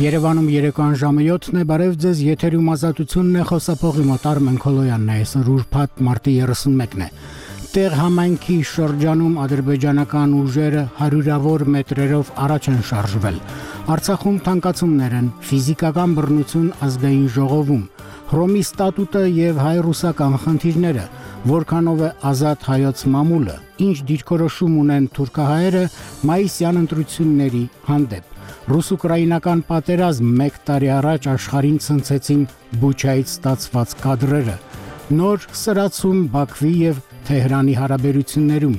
Երևանում երեկոյան ժամը 7-ն է, բարև ձեզ, եթերում ազատությունն է, խոսափողի մոտ Արմեն Քոլոյանն է, այսօր ուրբաթ մարտի 31-ն է։ Տեղ համայնքի շրջանում ադրբեջանական ուժերը հարյուրավոր մետրերով առաջ են շարժվել։ Արցախում թանկացումներ են, ֆիզիկական բռնություն ազգային ժողովում, Հռոմի ստատուտը եւ հայ-ռուսական խնդիրները, որքանով է ազատ հայոց մամուլը, ինչ դիրքորոշում ունեն թուրքահայերը մայիսյան ընտրությունների հանդեպ։ Ռուս-ուկրաինական պատերազմ 1 տարի առաջ աշխարհին ցնցեցին Բուչայից ստացված կադրերը։ Նոր սրացում Բաքվի եւ Թեհրանի հարաբերություններում։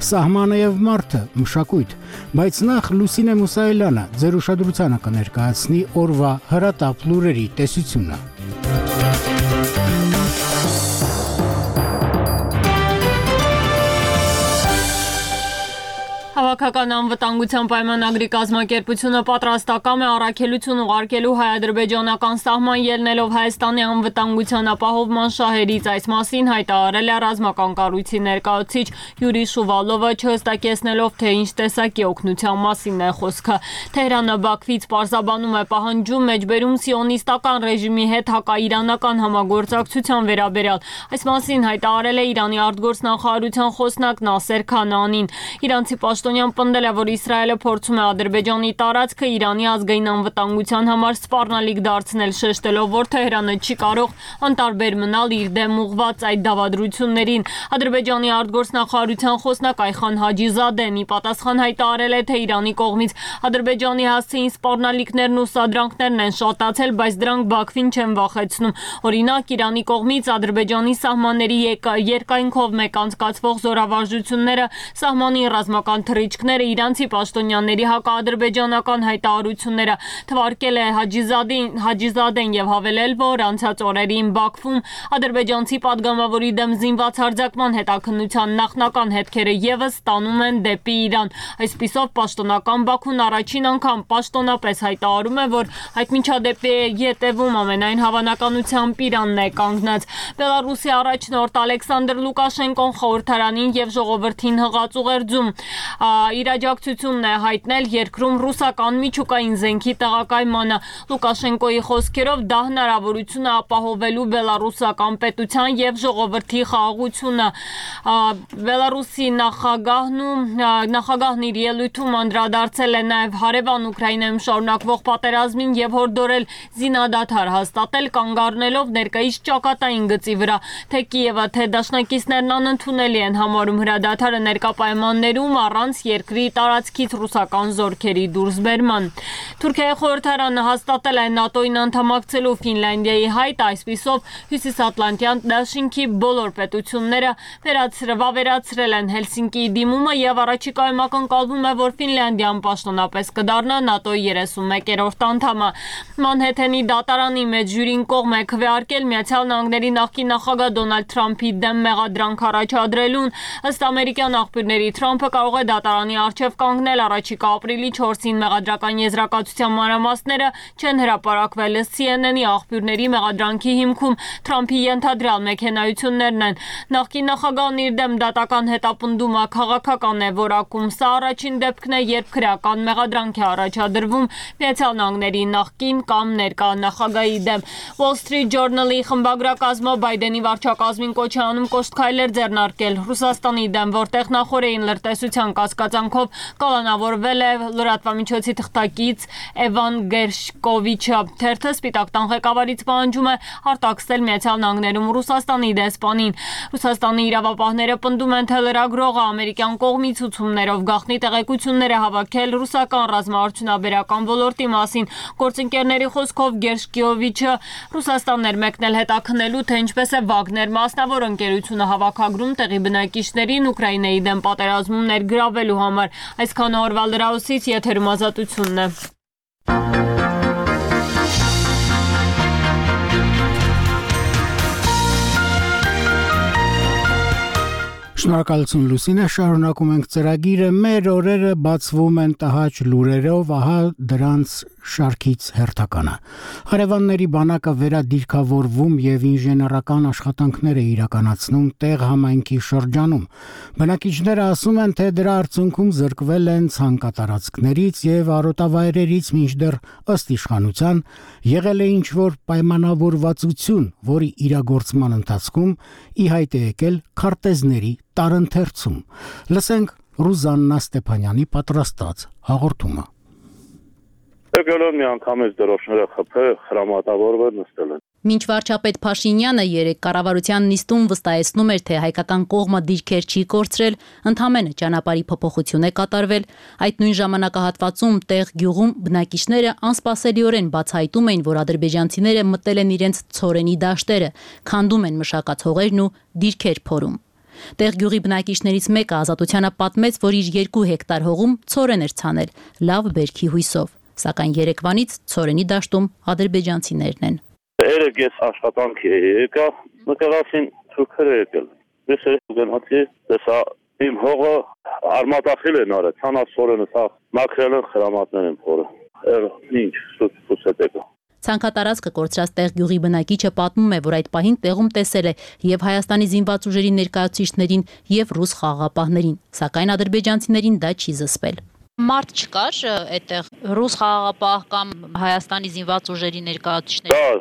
Սահմանը եւ մարդը, մշակույթ, բայց նախ Լուսինե Մուսայելյանը ձեր ուշադրությանը կներկայացնի օրվա հրատապ լուրերի տեսությունը։ Հավաքական անվտանգության պայմանագրի կազմակերպությունը պատրաստակամ է առաքելություն ուղարկելու հայ-ադրբեջանական սահման ելնելով Հայաստանի անվտանգության ապահովման շահերից, այս մասին հայտարարել է ռազմական կառույցի ներկայացուցիչ Յուրի Շուվալովը, չհստակեցնելով, թե ինչ տեսակի օգնության մասին է խոսքը։ Թեհրանը Բաքվից պարզաբանում է պահանջում մեջբերում սիոնիստական ռեժիմի հետ հակաիրանական համագործակցության վերաբերյալ։ Այս մասին հայտարարել է Իրանի արտգործնախարարության խոսնակ Նասեր Քանանին։ Իրանցի պաշտոնյան պնդել է, որ Իսրայելը փորձում է Ադրբեջանի տարածքը Իրանի ազգային անվտանգության համար սպառնալիք դարձնել, շեշտելով, որ Թեհրանը չի կարող անտարբեր մնալ իր դեմ ուղղված այդ դավադրություններին։ Ադրբեջանի արտգործնախարարության խոսնակ Այխան Հաջիզադեն ի պատասխան հայտարարել է, թե Իրանի կողմից Ադրբեջանի հասցեին սպառնալիքներն ու սադրանքներն են շատացել, բայց դրանք Բաքվին չեն վախեցնում։ Օրինակ, Իրանի կողմից Ադրբեջանի սահմանների երկայնքով մեկ անցկացվող զորավարժությունները, սահմանի ռազմական թռիչքները, իրանցի պաշտոնյաների հակաադրբեջանական հայտարարությունները, թվարկել է Հաջիզադեն եւ հավելել, որ անցած օրերին Բաքվում ադրբեջանցի падգամավորի դեմ զինված հարձակման հետաքննության նախնական հետքերը եւս ստանում են դեպի Իրան։ Այսպիսով պաշտոնական Բաքուն առաջին անգամ պաշտոնապես հայտարարում է, որ այդ միջադեպի ետևում ամենայն հավանականությամբ Իրանն է կանգնած։ Բելարուսի առաջնորդ Ալեքսանդր Լուկաշենկոն խորհրդարանին եւ ժողովրդին հղած ուղերձում իր աջակցությունն է հայտնել երկրում ռուսական միջուկային զենքի տեղակայմանը։ Լուկաշենկոյի խոսքերով դա հնարավորություն է ապահովելու բելարուսական պետության եւ ժողովրդի խաղաղությունը։ Բելարուսի նախագահն իր ելույթում անդրադարձել է նաեւ հարևան Ուկրաինայում շարունակվող պատերազմին եւ հորդորել զինադադար հաստատել, կանգ առնելով ներկայիս ճակատային գծի վրա, թե Կիևը, թե դաշնակիցներն անընդունելի են համարում հրադադարը ներկա պայմաններում առանց երկրի տարածքից ռուսական զորքերի դուրսբերման։ Թուրքիայի խորհրդարանը հաստատել է ՆԱՏՕ-ին անդամակցելու Ֆինլանդիայի հայտ, այսպիսով Հյուսիսատլանտյան դաշինքի բոլոր պետությունները վավերացրել են Հելսինկիի դիմումը եւ առաջիկայում ակնկալվում է, որ Ֆինլանդիան պաշտոնապես կդառնա ՆԱՏՕ-ի 31-րդ անդամը։ Մանհեթենի դատարանի մեջ ժյուրին կողմ է քվեարկել Միացյալ Նահանգների նախկին նախագահ Դոնալդ Թրամփի դեմ մեղադրանք առաջադրելուն։ Ըստ ամերիկյան աղբյուրների Թրամփը կարող է դատարանի առջև կանգնել առաջիկա ապրիլի 4-ին մեղադրական եզրակացության մանրամասները չեն հրապարակվել ըստ CNN-ի աղբյուրների մեղադրանքի հիմքում Թրամփի ենթադրյալ մեքենայություններն են։ Նախկին նախագահն իր դեմ դատական հետապնդումը քաղաքական է որակում։ Սա առաջին դեպքն է, երբ քրեական մեղադրանք է առաջադրվում Միացյալ Նահանգների նախկին կամ ներկա նախագահի դեմ։ Wall Street Journal-ի խմբագրակազմը Բայդենի վարչակազմին կոչ է անում կոշտ քայլեր ձեռնարկել Ռուսաստանի դեմ, որտեղ նախորդին լրտեսության կասկածանքով կալանավորվել է լրատվամիջոցի թղթակից Էվան Գերշկովիչը։ Թերթը Սպիտակ տան ղեկավարից պահանջում է արտաքսել Միացյալ Նահանգներում Ռուսաստանի դեսպանին։ Ռուսաստանի իրավապահները պնդում են, թե լրագրողը ամերիկյան կողմի ցուցումներով գաղտնի տեղեկություններ է հավաքել ռուսական ռազմաարդյունաբերական ոլորտի մասին։ Գործընկերների խոսքով Գերշկովիչը Ռուսաստանն էր մեկնել հետաքննելու, թե ինչպես է Վագներ մասնավոր ընկերությունը հավաքագրում տեղի բնակիչներին Ուկրաինայի դեմ պատերազմում ներգրավելու համար։ Այսքան օրվա լրահոսից եթերում ազատությունն է։ Շնորհակալություն Լուսինե, շարունակում ենք ծրագիրը, մեր օրերը բացվում են տհաճ լուրերով, ահա դրանց շարքից հերթականը։ Հարևանների բանակը վերադիրքավորվում եւ ինժեներական աշխատանքներ է իրականացնում տեղ համայնքի շրջանում։ Բնակիչները ասում են, թե դրա արդյունքում զրկվել են ցանկատարածքներից եւ արոտավայրերից, մինչդեռ ըստ իշխանության եղել է ինչ-որ պայմանավորվածություն, որի իրագործման ընթացքում ի հայտ է եկել քարտեզների տարընթերցում։ Լսենք Ռուզաննա Ստեփանյանի պատրաստած հաղորդումը։ Եկել մի անգամից դրոշները խփել, հրամատավորվել նստել են։ Մինչ վարչապետ Փաշինյանը երեկ կառավարության նիստում վստահեցնում էր, թե հայկական կողմը դիրքեր չի կորցրել, ընդհանրապես ճանապարհի փոփոխություն է կատարվել, այդ նույն ժամանակահատվածում տեղ գյուղում բնակիչները անսպասելիորեն բացահայտում էին, որ ադրբեջանցիները մտել են իրենց ցորենի դաշտերը, քանդում են մշակած հողերն ու դիրքեր փորում։ Տեղ գյուղի բնակիչներից մեկը Ազատությանը պատմեց, որ իր 2 հեկտար հողում ցորեն էր ցանել, լավ բերքի հույսով, սակայն երեկվանից ցորենի դաշտում ադրբեջանցիներն են։ Երեք ես աշխատանքի եկա, մտածեցին թուրքերը եկել։ Ես գնացի, տեսա իմ հողը արմատախիլ են արել, ցանասորենը սա մաքրել են հրամատներ են փորը։ Ինչ սուտ եկա։ Ցանկատարածքը կորցրած տեղ գյուղի բնակիչը պատմում է, որ այդ պահին տեղում տեսել է եւ Հայաստանի զինված ուժերի ներկայացուցիչներին եւ ռուս խաղաղապահներին, սակայն ադրբեջանցիներին դա չի զսպել։ Մարդ չկար այդտեղ ռուս խաղաղապահ կամ Հայաստանի զինված ուժերի ներկայացուցիչներ։ Կար,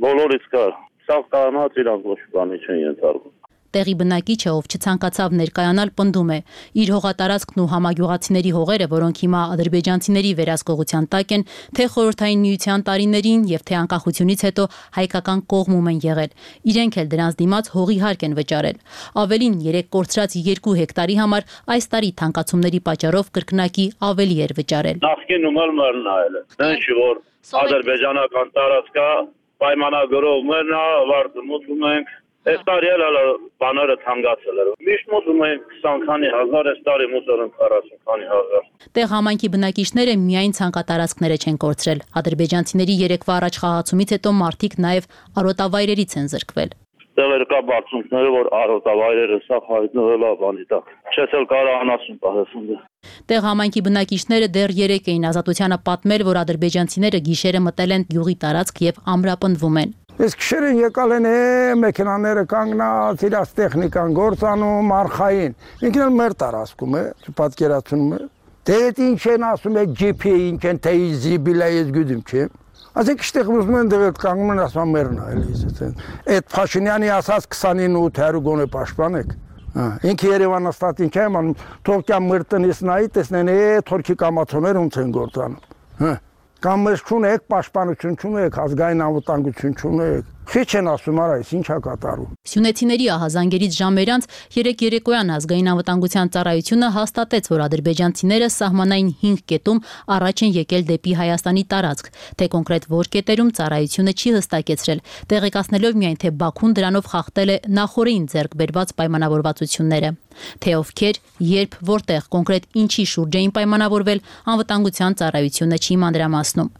բոլորից կար։ Սա կանած իրանք ոչ բանի չեն ենթարկում։ Տեղի բնակիչը, ով չցանկացավ ներկայանալ, պնդում է, իր հողատարածքն ու համագյուղացիների հողերը, որոնք հիմա ադրբեջանցիների վերահսկողության տակ են, թե խորհրդային միության տարիներին եւ թե անկախությունից հետո հայկական կողմում են եղել։ Իրենք էլ դրանց դիմաց հողի հարկ են վճարել։ Ավելին, 3 կորցրած 2 հեկտարի համար այս տարի թանկացումների պատճառով կրկնակի ավելի էր վճարել։ Նախկինում էլ մեռնայել է։ Դեն չի որ ադրբեջանական տարածքա պայմանագրով մեռնա, վարտմուտում ենք։ Այս տարի էլ բաները թանկացել էր։ Միշտ մոտում են 20 քանի հազար, այս տարի մոտորեն 40 քանի հազար։ Տեղ համայնքի բնակիչները միայն ցանկատարածքները չեն կորցրել։ Ադրբեջանցիների երեկվա առաջ խաղացումից հետո մարդիկ նաև արոտավայրերից են զրկվել։ Տեղեր կա բարձունքները, որ արոտավայրերը սա հայտնվել է բանի տակ։ Չես էլ կարող անասուն պահեսուն։ Տեղ համայնքի բնակիչները դեռ երեկ էին Ազատությանը պատմել, որ ադրբեջանցիները գիշերը մտել են գյուղի տարածք եւ ամրապնդվում են։ Ես քշերեն եկալ են մեքենաները կանգնած, իրաց տեխնիկան գործանում, արխային։ Ինքն էլ մեր տարածքում է, պատկերացնում է։ Դե ինչ են ասում է GP ինչ են թե զիբիլա ես գյուդում չէ։ Ասեք շտեղ ուզում են դեռ կանգնում են ասում մերն է էլի։ Այդ Փաշինյանի ասած 29-800 գոնե պաշտպանեք։ Ինքը Երևանը ստատին չէ, ման թորքյան մրտնից նայի տեսնեն թորքի կամացոներ ոնց են գործանում։ Կամ մեզ չունեք, պաշտպանություն չունեք, ազգային անվտանգություն չունեք։ Քիչ են ասում, արայս ինչա կատարում։ Սյունեցիների ահազանգերից ժամեր անց երեկ երեկոյան ազգային անվտանգության ծառայությունը հաստատեց, որ ադրբեջանցիները սահմանային 5 կետում առաջ են եկել դեպի Հայաստանի տարածք, թե կոնկրետ որ կետերում ծառայությունը չի հստակեցրել, տեղեկացնելով միայն թե Բաքուն դրանով խախտել է նախորդին ձեռք բերված պայմանավորվածությունները։ Թե ովքեր, երբ, որտեղ կոնկրետ ինչի շուրջ էին պայմանավորվել, անվտանգության ծառայությունը չի մանրամասնում։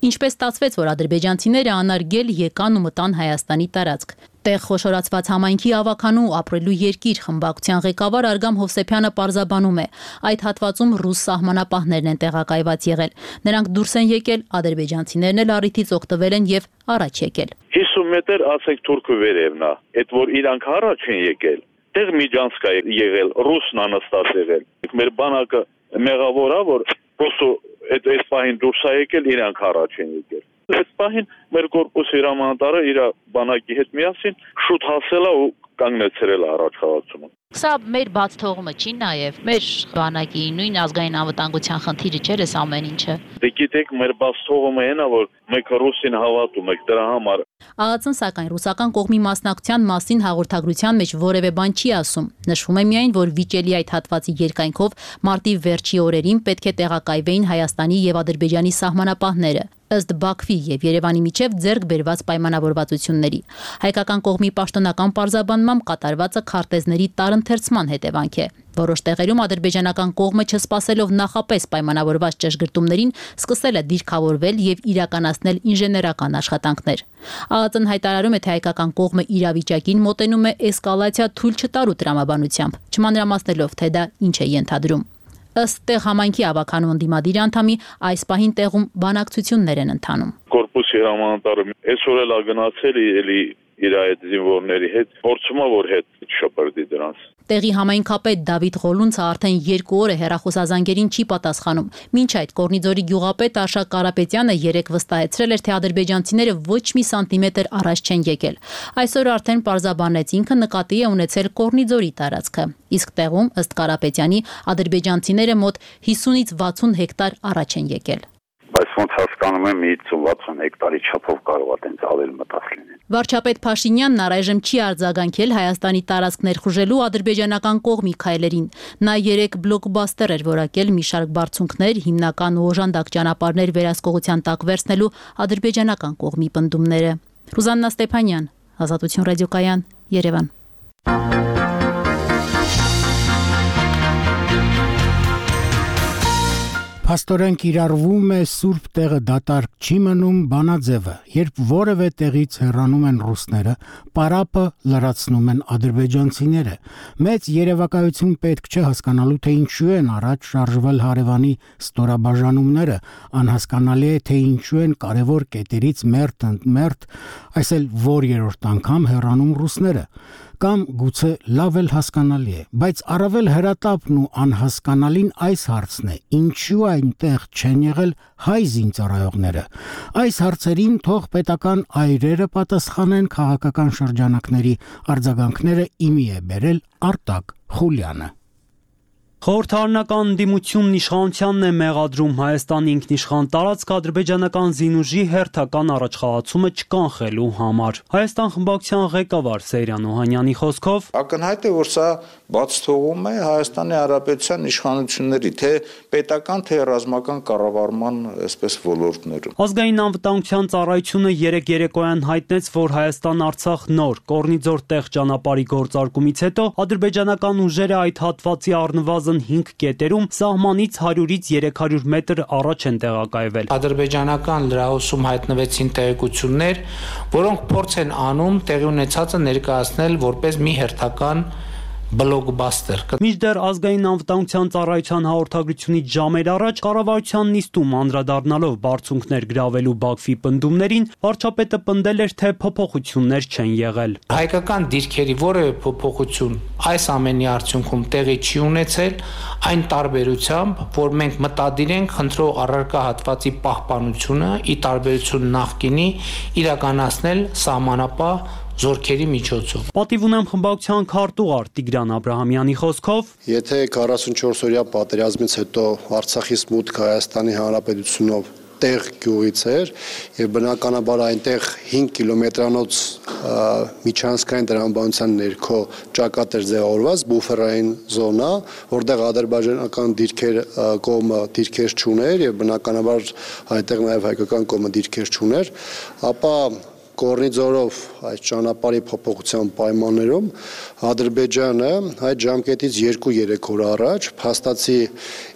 Ինչպես ստացվեց, որ ադրբեջանցիները անարգել եկան ու մտան Հայաստանի տարածք։ Տեղ խոշորացված համայնքի ավականու ապրելու երկիր խմբակցության ղեկավար Արգամ Հովսեփյանը պարզաբանում է, այդ հատվածում ռուս սահմանապահներն են տեղակայված եղել։ Նրանք դուրս են եկել, ադրբեջանցիներն էլ առիթից օգտվել են եւ առաջ եկել։ 50 մետր ասեք թուրքը վերևն է, այդ որ իրանք առաջ են եկել, տեղ միջանցք է եղել, ռուսն անստաց եղել։ Մեր բանակը մեղավոր է, որ պրոստո այդ պահին դուրս է եկել, իրանք առաջ են եկել։ Այդ պահին մեր կորպուսի հրամանատարը իր բանակի հետ միասին շուտ հասել է ու կանգնեցրել է առաջ խաղացումը։ Սա մեր բաց թողումը չի նաև մեր բանակի նույն ազգային անվտանգության խնդիրը չէ այս ամեն ինչը։ Դե գիտեք, մեր բաց թողումը այն է, որ մենք ռուսին հավատում ենք դրա համար։ ԱԱՑ-ն սակայն ռուսական կողմի մասնակցության մասին հաղորդագրության մեջ որևէ բան չի ասում։ Նշվում է միայն, որ վիճելի այդ հատվածի երկայնքով մարտի վերջի օրերին պետք է տեղակայվեին Հայաստանի եւ Ադրբեջանի սահմանապահները։ ըստ Բաքվի եւ Երևանի միջև ձեռք բերված պայմանավորվածությունների։ Հայկական կողմի պաշտոնական պարզաբանմամբ կատարվածը քարտեզների տարընթերցման հետևանք է։ Որոշ տեղերում ադրբեջանական կողմը չսպասելով նախապես պայմանավորված ճշգրտումներին սկսել է դիրքավորվել եւ իրականացնել ինժեներական աշխատանքներ։ ԱԱԾ-ն հայտարարում է, թե հայկական կողմը իրավիճակին մոտենում է էսկալացիա թույլ չտալու տրամաբանությամբ, չմանրամասնելով, թե դա ինչ է ենթադրում։ Ըստ տեղ համայնքի ավականու ընդդիմադիր անդամի այս պահին տեղում բանակցություններ են ընթանում։ Կորպուսի հրամանատարը այսօր էլ գնացել էլի իր այդ զինվորների հետ, փորձում է որ հետ շփրդի դրանց։ Տեղի համայնքապետ Դավիթ Ղոլունցը արդեն 2 օր է հեռախոսազանգերին չի պատասխանում։ Մինչ այդ Կորնիձորի գյուղապետ Արշակ Կարապետյանը երեկ վստահեցրել էր, թե ադրբեջանցիները ոչ մի սանտիմետր առաջ չեն եկել։ Այսօր արդեն պարզաբանեց ինքը նկատի է ունեցել Կորնիձորի տարածքը։ Իսկ տեղում, ըստ Կարապետյանի, ադրբեջանցիները մոտ 50-ից 60 հեկտար առաջ են եկել։ Բայց ոնց հասկանում եմ 50-60 հեկտարի չափով կարող է տենց ավել մտած լինել։ Վարչապետ Փաշինյանն առայժմ չի արձագանքել Հայաստանի տարածք ներխուժելու ադրբեջանական կողմի քայլերին։ Նա երեք բլոկբաստեր էր որակել մի շարք բարձունքներ, հիմնական ու օժանդակ ճանապարհներ վերահսկողության տակ վերցնելու ադրբեջանական կողմի պնդումները։ Ռուզաննա Ստեփանյան, Ազատություն ռադիոկայան, Երևան։ Փաստորեն կիրառվում է սուրբ տեղը դատարկ չի մնում բանաձևը, երբ որևէ տեղից հեռանում են ռուսները, պարապը լրացնում են ադրբեջանցիները։ Մեծ երևակայություն պետք չէ հասկանալու, թե ինչու են առաջ շարժվել հարևանի ստորաբաժանումները, անհասկանալի է, թե ինչու են կարևոր կետերից մերթ ընդ մերթ, այսել որ երրորդ անգամ հեռանում ռուսները։ Կամ գուցե լավ էլ հասկանալի է, բայց առավել հրատապն ու անհասկանալին այս հարցն է. ինչու այնտեղ չեն եղել հայ զինծառայողները։ Այս հարցերին թող պետական այրերը պատասխանեն, քաղաքական շրջանակների արձագանքները իմի է բերել Արտակ Խուլյանը։ Խորհրդարանական ընդդիմությունն իշխանությանն է մեղադրում Հայաստանի ինքնիշխան տարածք ադրբեջանական զինուժի հերթական առաջխաղացումը չկանխելու համար։ Հայաստան խմբակցության ղեկավար Սեյրան Օհանյանի խոսքով ակնհայտ է, որ սա բաց թողում է Հայաստանի Հանրապետության իշխանությունների թե պետական, թե ռազմական կառավարման այսպես ոլորտներում։ Ազգային անվտանգության ծառայությունը երեկ երեկոյան հայտնեց, որ Հայաստան-Արցախ նոր Կորնիձոր տեղ ճանապարհի գործարկումից հետո ադրբեջանական ուժերը այդ հատվածի առնվազն 5 կետերում սահմանից 100-ից 300 մետր առաջ են տեղակայվել։ Ադրբեջանական լրահոսում հայտնվեցին տեղեկություններ, որոնք փորձ են անում տեղի ունեցածը ներկայացնել որպես մի հերթական բլոկբաստեր։ Մինչդեռ ազգային անվտանգության ծառայության հաղորդագրությունից ժամեր առաջ կառավարության նիստում անդրադառնալով բարձունքներ գրավելու Բաքվի պնդումներին, վարչապետը պնդել էր, թե փոփոխություններ չեն եղել։ Հայկական դիրքերի որևէ փոփոխություն այս ամենի արդյունքում տեղի չի ունեցել, այն տարբերությամբ, որ մենք մտադիր ենք խնդրող առարկա հատվածի պահպանությունը ի տարբերություն նախկինի իրականացնել սահմանապահ զորքերի միջոցով։ Պատիվ ունեմ խմբակցության քարտուղար Տիգրան Աբրահամյանի խոսքով, եթե 44-օրյա պատերազմից հետո Արցախից մուտք Հայաստանի Հանրապետությունով տեղ գյուղից էր եւ բնականաբար այնտեղ 5 կիլոմետրանոց միջանցքային տրամաբանության ներքո ճակատ էր ձևավորված բուֆերային զոնա, որտեղ ադրբեջանական դիրքեր կողմը դիրքեր չուներ եւ բնականաբար այնտեղ նաեւ հայկական կողմը դիրքեր չուներ, ապա Կորնիձորով այս ճանապարհի փոփոխության պայմաններում Ադրբեջանը այդ ժամկետից 2-3 օր առաջ փաստացի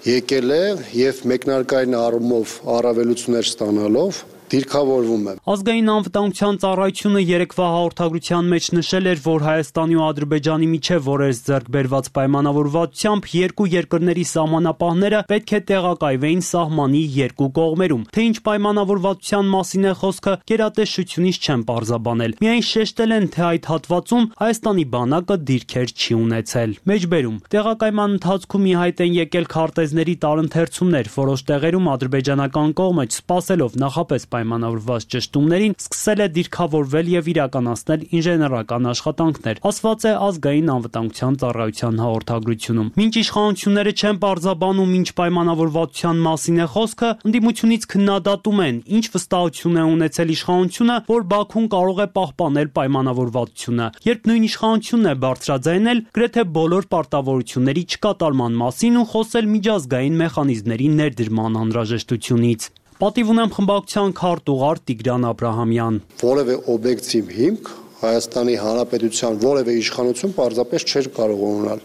եկել է եւ մեկնարկային առումով առավելություններ ստանալով դիրքավորվում է։ Ազգային անվտանգության ծառայությունը երեկվա հաղորդագրության մեջ նշել էր, որ Հայաստանի ու Ադրբեջանի միջև օրերս ձեռք բերված պայմանավորվածությամբ երկու երկրների սահմանապահները պետք է տեղակայվեին սահմանի երկու կողմերում։ Թե ինչ պայմանավորվածության մասին է խոսքը, գերատեսչությունից չեն պարզաբանել։ Միայն շեշտել են, թե այդ հատվածում Հայաստանի բանակը դիրքեր չի ունեցել։ Մեջբերում տեղակայման ընթացքում ի հայտ են եկել քարտեզների տարընթերցումներ, որոշ տեղերում ադրբեջանական կողմը չսպասելով նախապես պայմանավորված ճշտումներին սկսել է դիրքավորվել եւ իրականացնել ինժեներական աշխատանքներ, ասված է ազգային անվտանգության ծառայության հաղորդագրությունում։ Մինչ իշխանությունները չեն պարզաբանում ինչ պայմանավորվածության մասին է խոսքը, ընդդիմությունից քննադատում են, ինչ վստահություն է ունեցել իշխանությունը, որ Բաքուն կարող է պահպանել պայմանավորվածությունը, երբ նույն իշխանությունն է բարձրաձայնել գրեթե բոլոր պարտավորությունների չկատարման մասին ու խոսել միջազգային մեխանիզմների ներդրման անհրաժեշտությունից։ Պատիվ ունեմ խմբակցության քարտուղար Տիգրան Աբրահամյան։ Որևէ օբյեկտիվ հիմք Հայաստանի Հանրապետության որևէ իշխանություն պարզապես չէր կարող ունենալ։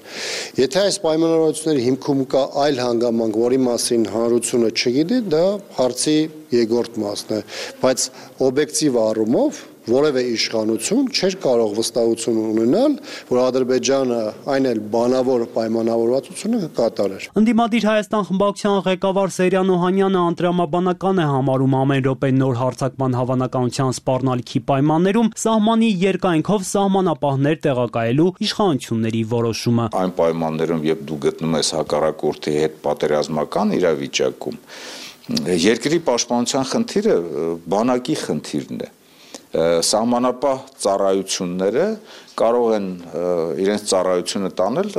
Եթե այս պայմանավորվածությունների հիմքում կա այլ հանգամանք, որի մասին հանրությունը չգիտի, դա հարցի երկրորդ մասն է, բայց օբյեկտիվ առումով որևէ իշխանություն չէր կարող վստահություն ունենալ, որ Ադրբեջանը այն էլ բանավոր պայմանավորվածությունը կկատարեր։ Ընդդիմադիր Հայաստան խմբակցության ղեկավար Սերյան Օհանյանը անտրամաբանական է համարում ամեն րոպե նոր հարձակման հավանականության սպառնալիքի պայմաններում սահմանի երկայնքով սահմանապահներ տեղակայելու իշխանությունների որոշումը։ Այն պայմաններում, երբ դու գտնում ես հակառակորդի հետ պատերազմական իրավիճակում, երկրի պաշտպանության խնդիրը բանակի խնդիրն է։ Սահմանապահ ծառայությունները կարող են իրենց ծառայությունը տանել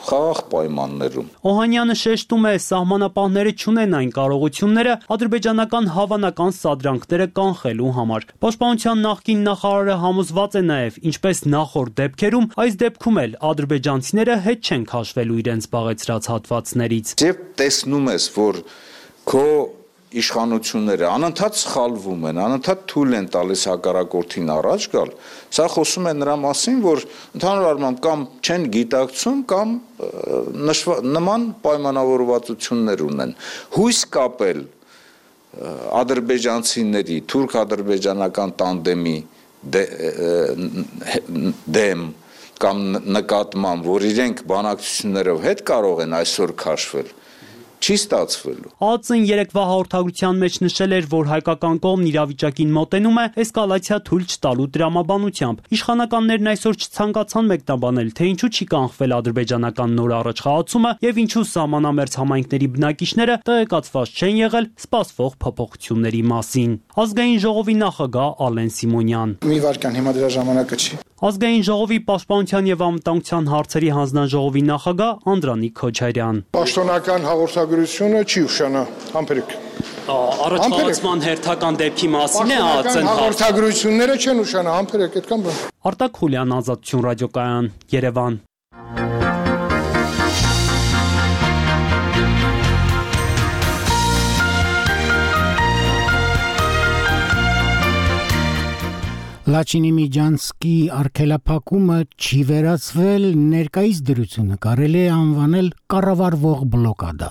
խաղաղ պայմաններում։ Օհանյանը շեշտում է, սահմանապահները չունեն այն կարողությունները ադրբեջանական հավանական սադրանքները կանխելու համար։ Պաշտպանության նախկին նախարարը համոզված է նաև, ինչպես նախորդ դեպքերում, այս դեպքում էլ ադրբեջանցիները հետ չեն քաշվելու իրենց զբաղեցրած հատվածներից։ Երբ տեսնում ես, որ քո իշխանությունները անընդհատ սխալվում են, անընդհատ թույլ են տալիս հակառակորդին առաջ գալ, սա խոսում է նրա մասին, որ ընդհանուր առմամբ կամ չեն գիտակցում, կամ նման պայմանավորվածություններ ունեն։ Հույս կապել ադրբեջանցիների, թուրք-ադրբեջանական տանդեմի դեմ կամ նկատմամբ, որ իրենք բանակցություններով հետ կարող են այսօր քաշվել, չի ստացվելու։ ԱԱԾ-ն երեկվա հաղորդագրության մեջ նշել էր, որ հայկական կողմն իրավիճակին մոտենում է էսկալացիա թույլ չտալու տրամաբանությամբ։ Իշխանականներն այսօր չցանկացան մեկնաբանել, թե ինչու չի կանխվել ադրբեջանական նոր առաջխաղացումը եւ ինչու սահմանամերձ համայնքների բնակիչները տեղեկացված չեն եղել սպասվող փոփոխությունների մասին։ Ազգային ժողովի նախագահ Ալեն Սիմոնյան։ Մի վարքան, հիմա դրա ժամանակը չի։ Ազգային ժողովի պաշտպանության եւ անվտանգության հարցերի հանձնաժողովի նախագահ Անդրանիկ Քոչարյան։ Պաշտոնական հաղորդագրությունը չի ուշանա, համբերեք։ Առաջխաղացման հերթական դեպքի մասին է ԱԱԾ-ն հաղորդագրությունները չեն ուշանա, համբերեք, այդքան բան։ Արտակ Խուլյան, Ազատություն ռադիոկայան, Երևան։ Լաչինի Միջանցկի արգելափակումը չի վերացվել, ներկայիս դրությունը կարելի է անվանել կառավարվող բլոկադա։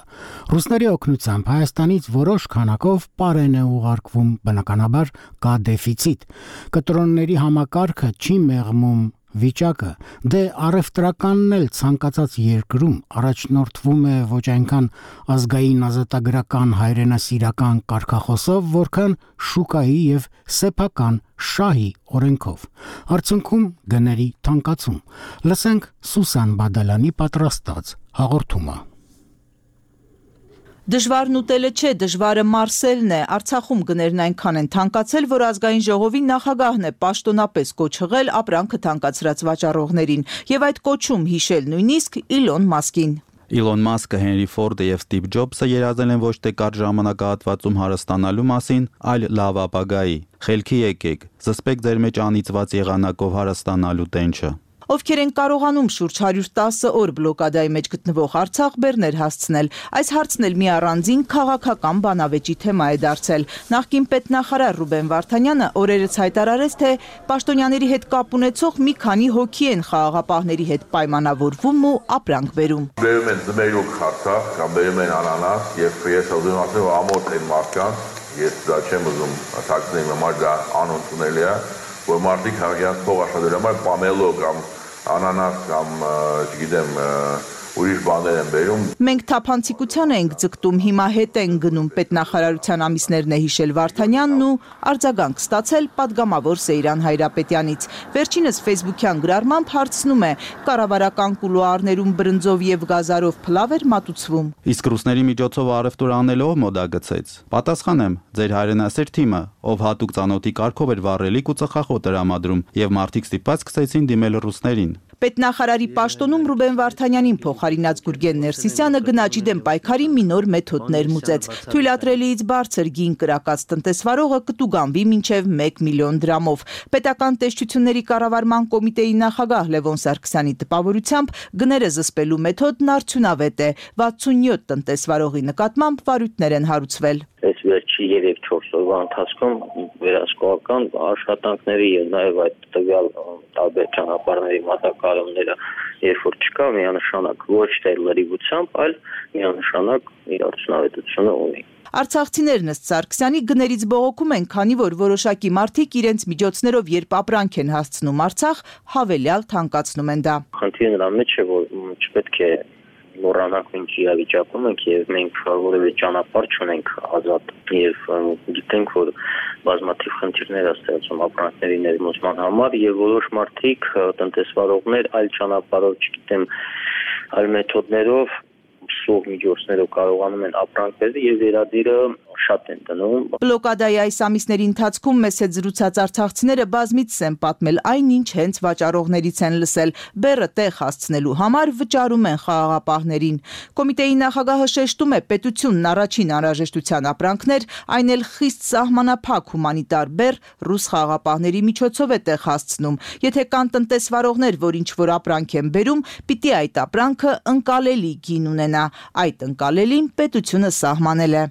Ռուսների օգնությամբ Հայաստանից որոշ քանակով պարեն է ուղարկվում, բնականաբար կա դեֆիցիտ։ Կտրոնների համակարգը չի մեղմում վիճակը, դե առևտրականն էլ ցանկացած երկրում առաջնորդվում է ոչ այնքան ազգային ազատագրական հայրենասիրական կարգախոսով, որքան շուկայի եւ սեփական շահի օրենքով։ Արդյունքում գների թանկացում։ Լսենք Սուսան Բադալանի պատրաստած հաղորդումը։ Դժվարն ուտելը չէ, դժվարը մարսելն է։ Արցախում գներն այնքան են թանկացել, որ ազգային ժողովի նախագահն է պաշտոնապես կոչ հղել ապրանքը թանկացրած վաճառողներին, եւ այդ կոչում հիշել նույնիսկ Իլոն Մասկին։ Իլոն Մասկը, Հենրի Ֆորդը եւ Ստիվ Ջոբսը երազել են ոչ թե կարճ ժամանակահատվածում հարստանալու մասին, այլ լավ ապագայի։ Խելքի եկեք, զսպեք ձեր մեջ անիծված եղանակով հարստանալու տենչը։ Ովքեր են կարողանում շուրջ 110 օր բլոկադայի մեջ գտնվող Արցախ բեռներ հասցնել։ Այս հարցն էլ մի առանձին քաղաքական բանավեճի թեմա է դարձել։ Նախկին պետնախարար Ռուբեն Վարդանյանը օրերս հայտարարեց, թե պաշտոնյաների հետ կապ ունեցող մի քանի հոգի են խաղաղապահների հետ պայմանավորվում ու ապրանք բերում։ Բերում են զմերուկ Արցախ կամ բերում են անանաս եւ ես ուզում ասեմ, որ ամոթ են մարդկանց, ես դա չեմ ուզում թաքցնել, համար դա անընդունելի է, որ մարդիկ իրենց փող աշխատելու համար պամելո կամ անանաս կամ չգիտեմ ուրիշ բաներ են բերում։ Մենք թափանցիկության ենք ձգտում, հիմա հետ են գնում, պետնախարարության ամիսներն է հիշել Վարդանյանն ու արձագանք ստացել պատգամավոր Սեյրան Հայրապետյանից։ Վերջինս ֆեյսբուքյան գրառմամբ հարցնում է, կառավարական կուլուարներում բրնձով եւ գազարով փլավ էր մատուցվում։ Իսկ ռուսների միջոցով առևտուր անելով մոդա գցեց։ Պատասխանեմ, ձեր հայրենասեր թիմը, ով հատուկ ծանոթի կարգով էր վառելիք ու ծխախոտ տրամադրում, եւ մարդիկ ստիպված սկսեցին դիմել ռուսներին։ Պետնախարարի պաշտոնում Ռուբեն Վարդանյանին փոխարինած Գուրգեն Ներսիսյանը գնաճի դեմ պայքարի մի նոր մեթոդ ներմուծեց։ Թույլատրելիից բարձր գին կրակած տնտեսվարողը կտուգանվի մինչև 1 միլիոն դրամով։ Պետական տեսչությունների կառավարման կոմիտեի նախագահ Լևոն Սարգսյանի տպավորությամբ գները զսպելու մեթոդն արդյունավետ է։ 67 տնտեսվարողի նկատմամբ վարույթներ են հարուցվել։ Այս վերջի 3-4 օրվա ընթացքում վերահսկողական աշխատանքների եւ նաեւ այդ տվյալ տարբեր ճանապարհների մատակարարումները երբ որ չկա միանշանակ ոչ թե լրիվությամբ, այլ միանշանակ իր արդյունավետությունը ունի։ Արցախցիներն ըստ Սարգսյանի գներից բողոքում են, քանի որ որոշակի մարդիկ իրենց միջոցներով երբ ապրանք են հասցնում Արցախ, հավելյալ թանկացնում են դա։ Խնդիրը նրա մեջ է, որ չպետք է մոռանանք մենք իրավիճակում ենք եւ մենք որևէ ճանապարհ չունենք ազատ եւ գիտենք որ բազմաթիվ խնդիրներ է ստեղծում ապրանքների ներմուծման համար եւ որոշ մարդիկ տնտեսվարողներ այլ ճանապարհով, չգիտեմ, այլ մեթոդներով սուղ միջոցներով կարողանում են ապրանք բերել եւ վերադիրը շատ են դնում։ Բլոկադայի այս ամիսների ընթացքում մեզ հետ զրուցած արցախցիները բազմիցս են պատմել այնինչ հենց վաճառողներից են լսել, բեռը տեղ հասցնելու համար վճարում են խաղաղապահներին։ Կոմիտեի նախագահը շեշտում է, պետությունն առաջին անհրաժեշտության ապրանքներ, այն էլ խիստ սահմանափակ հումանիտար բեռ ռուս խաղաղապահների միջոցով է տեղ հասցնում։ Եթե կան տնտեսվարողներ, որ ինչ-որ ապրանք են բերում, պիտի այդ ապրանքը ընկալելի գին ունենա։ Այդ ընկալելին պետությունը սահմանել է։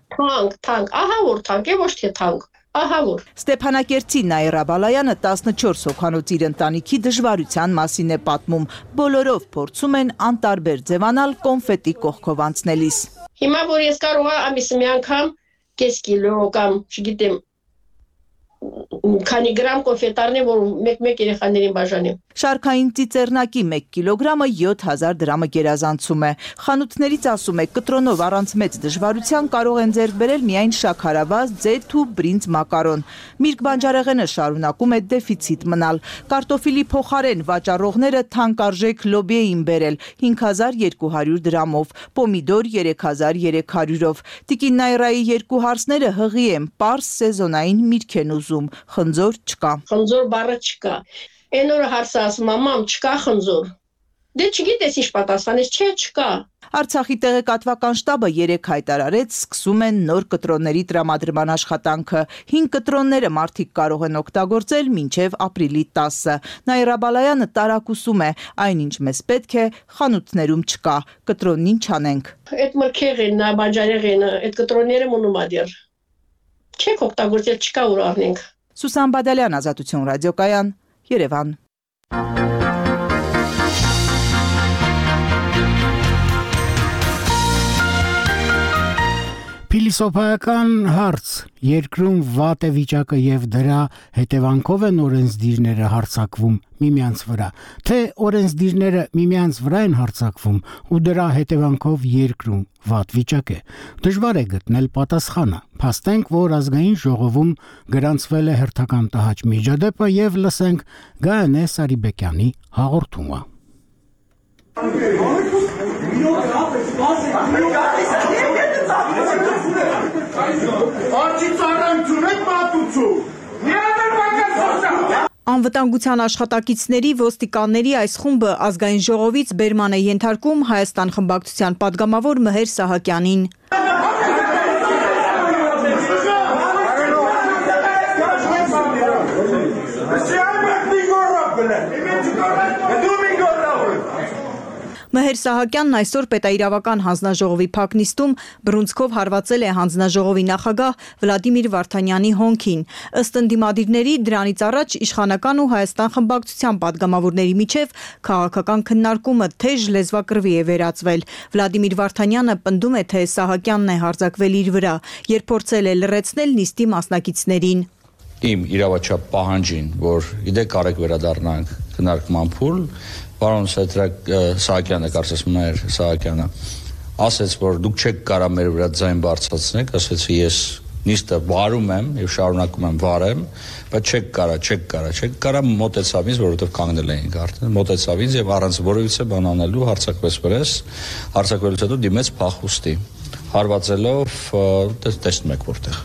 Թանկ, ահա որ թանկ է, ոչ թե թանկ, ահա որ։ Ստեփանակերտի Նաիրա Բալայանը 14 հոգանոց իր ընտանիքի դժվարության մասին է պատմում։ Բոլորով փորձում են անտարբեր ձևանալ կոնֆետի կողքով անցնելիս։ Հիմա որ ես կարող եմ ամիսը մի անգամ կես կիլո կամ, չգիտեմ, քանի գրամ կոնֆետարներ, որ մեկ երեխաներին բաժանեմ։ Շարքային ծիծեռնակի 1 կիլոգրամը 7000 դրամը գերազանցում է։ Խանութներից ասում է, կտրոնով առանց մեծ դժվարության կարող են ձեռք բերել միայն շաքարավազ, ձեթ ու բրինձ մակարոն։ Միրգ բանջարեղենը շարունակում է դեֆիցիտ մնալ։ Կարտոֆիլի փոխարեն վաճառողները թանկարժեք լոբի էին բերել 5200 դրամով, պոմիդոր 3300-ով։ Տիկին Նաիրայի երկու հարսները հղի են, պարզ սեզոնային միրգ են ուզում, խնձոր չկա։ Խնձոր բառը չկա։ Այն օրը հարցը ասում, մամ, չկա խնձոր։ Դե չգիտես ինչ պատասխանես, չէ, չկա։ Արցախի տեղեկատվական շտաբը 3 հայտարարեց, սկսում են նոր կտրոնների տրամադրման աշխատանքը։ 5 կտրոնները մարդիկ կարող են օգտագործել մինչև ապրիլի 10-ը։ Նաիրա Բալայանը տարակուսում է, այնինչ մեզ պետք է, խանութներում չկա, կտրոնին չանենք։ Այդ մրգեղենն, բանջարեղենը, այդ կտրոնները մնում ա դեռ։ Չեք օգտագործել, չկա ուր առնենք։ Սուսան Բադալյան, Ազատություն ռադիոկայան, Երևան։ Փիլիսոփայական հարց. երկրում վատ է վիճակը եւ դրա հետևանքով են օրենսդիրները հարձակվում միմյանց վրա, թե օրենսդիրները միմյանց վրա են հարձակվում ու դրա հետևանքով երկրում վատ վիճակ է։ Դժվար է գտնել պատասխանը։ Փաստենք, որ ազգային ժողովում գրանցվել է հերթական տհաճ միջադեպը եւ լսենք Գայանե Սարիբեկյանի հաղորդումը։ Անվտանգության աշխատակիցների ոստիկանների այս խումբը ազգային ժողովից բերման է ենթարկում Հայաստան խմբակցության падգամավոր Մհեր Սահակյանին։ Մհեր Սահակյանն այսօր պետաիրավական հանձնաժողովի փակնիստում բռունցքով հարվածել է հանձնաժողովի նախագահ Վլադիմիր Վարդանյանի հոնքին։ Ըստ ընդդիմադիրների, դրանից առաջ իշխանական ու Հայաստան խմբակցության падգամավորների միջև քաղաքական քննարկումը թեժ լեզվակռվի է վերածվել։ Վլադիմիր Վարդանյանը պնդում է, թե Սահակյանն է հարձակվել իր վրա, երբ փորձել է լռեցնել նիստի մասնակիցներին։ Իմ իրավաչափ պահանջին, որ գիտեք կարեք վերադառնանք քննարկման փուլ, պարոն Սահակյանը, կարծես Մհեր Սահակյանը, ասեց, որ դուք չեք կարա մեր վրա ձայն բարձրացնեք, ասեցի ես նիստը վարում եմ եւ շարունակում եմ վարեմ, բայց չեք կարա մոտեցավ ինձ, որովհետեւ կանգնել էինք արդեն, մոտեցավ ինձ եւ առանց որևիցե բան անելու հարձակվեց վրես, հարձակվելուց հետո դիմեց փախուստի, հարվածելով տեսնում եք որտեղ։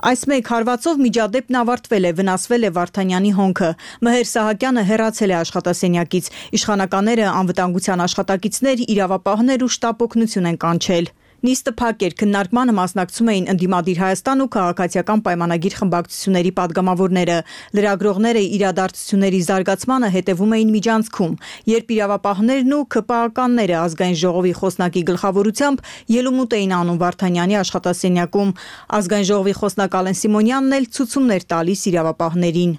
Այս մեկ հարվածով միջադեպն ավարտվել է, վնասվել է Վարդանյանի հոնքը։ Մհեր Սահակյանը հեռացել է աշխատասենյակից։ Իշխանականները անվտանգության աշխատակիցներ, իրավապահներ ու շտապ օգնություն են կանչել։ Նիստը փակ էր, քննարկմանը մասնակցում էին ընդդիմադիր Հայաստան ու քաղաքացիական պայմանագիր խմբակցությունների падգամավորները։ Լրագրողները իրադարձությունների զարգացմանը հետևում էին միջանցքում, երբ իրավապահներն ու ՔՊԱ-ականները ազգային ժողովի խոսնակի գլխավորությամբ ելումուտ էին անում Վարդանյանի աշխատասենյակում։ Ազգային ժողովի խոսնակ Ալեն Սիմոնյանն էլ ցուցումներ տալիս իրավապահներին։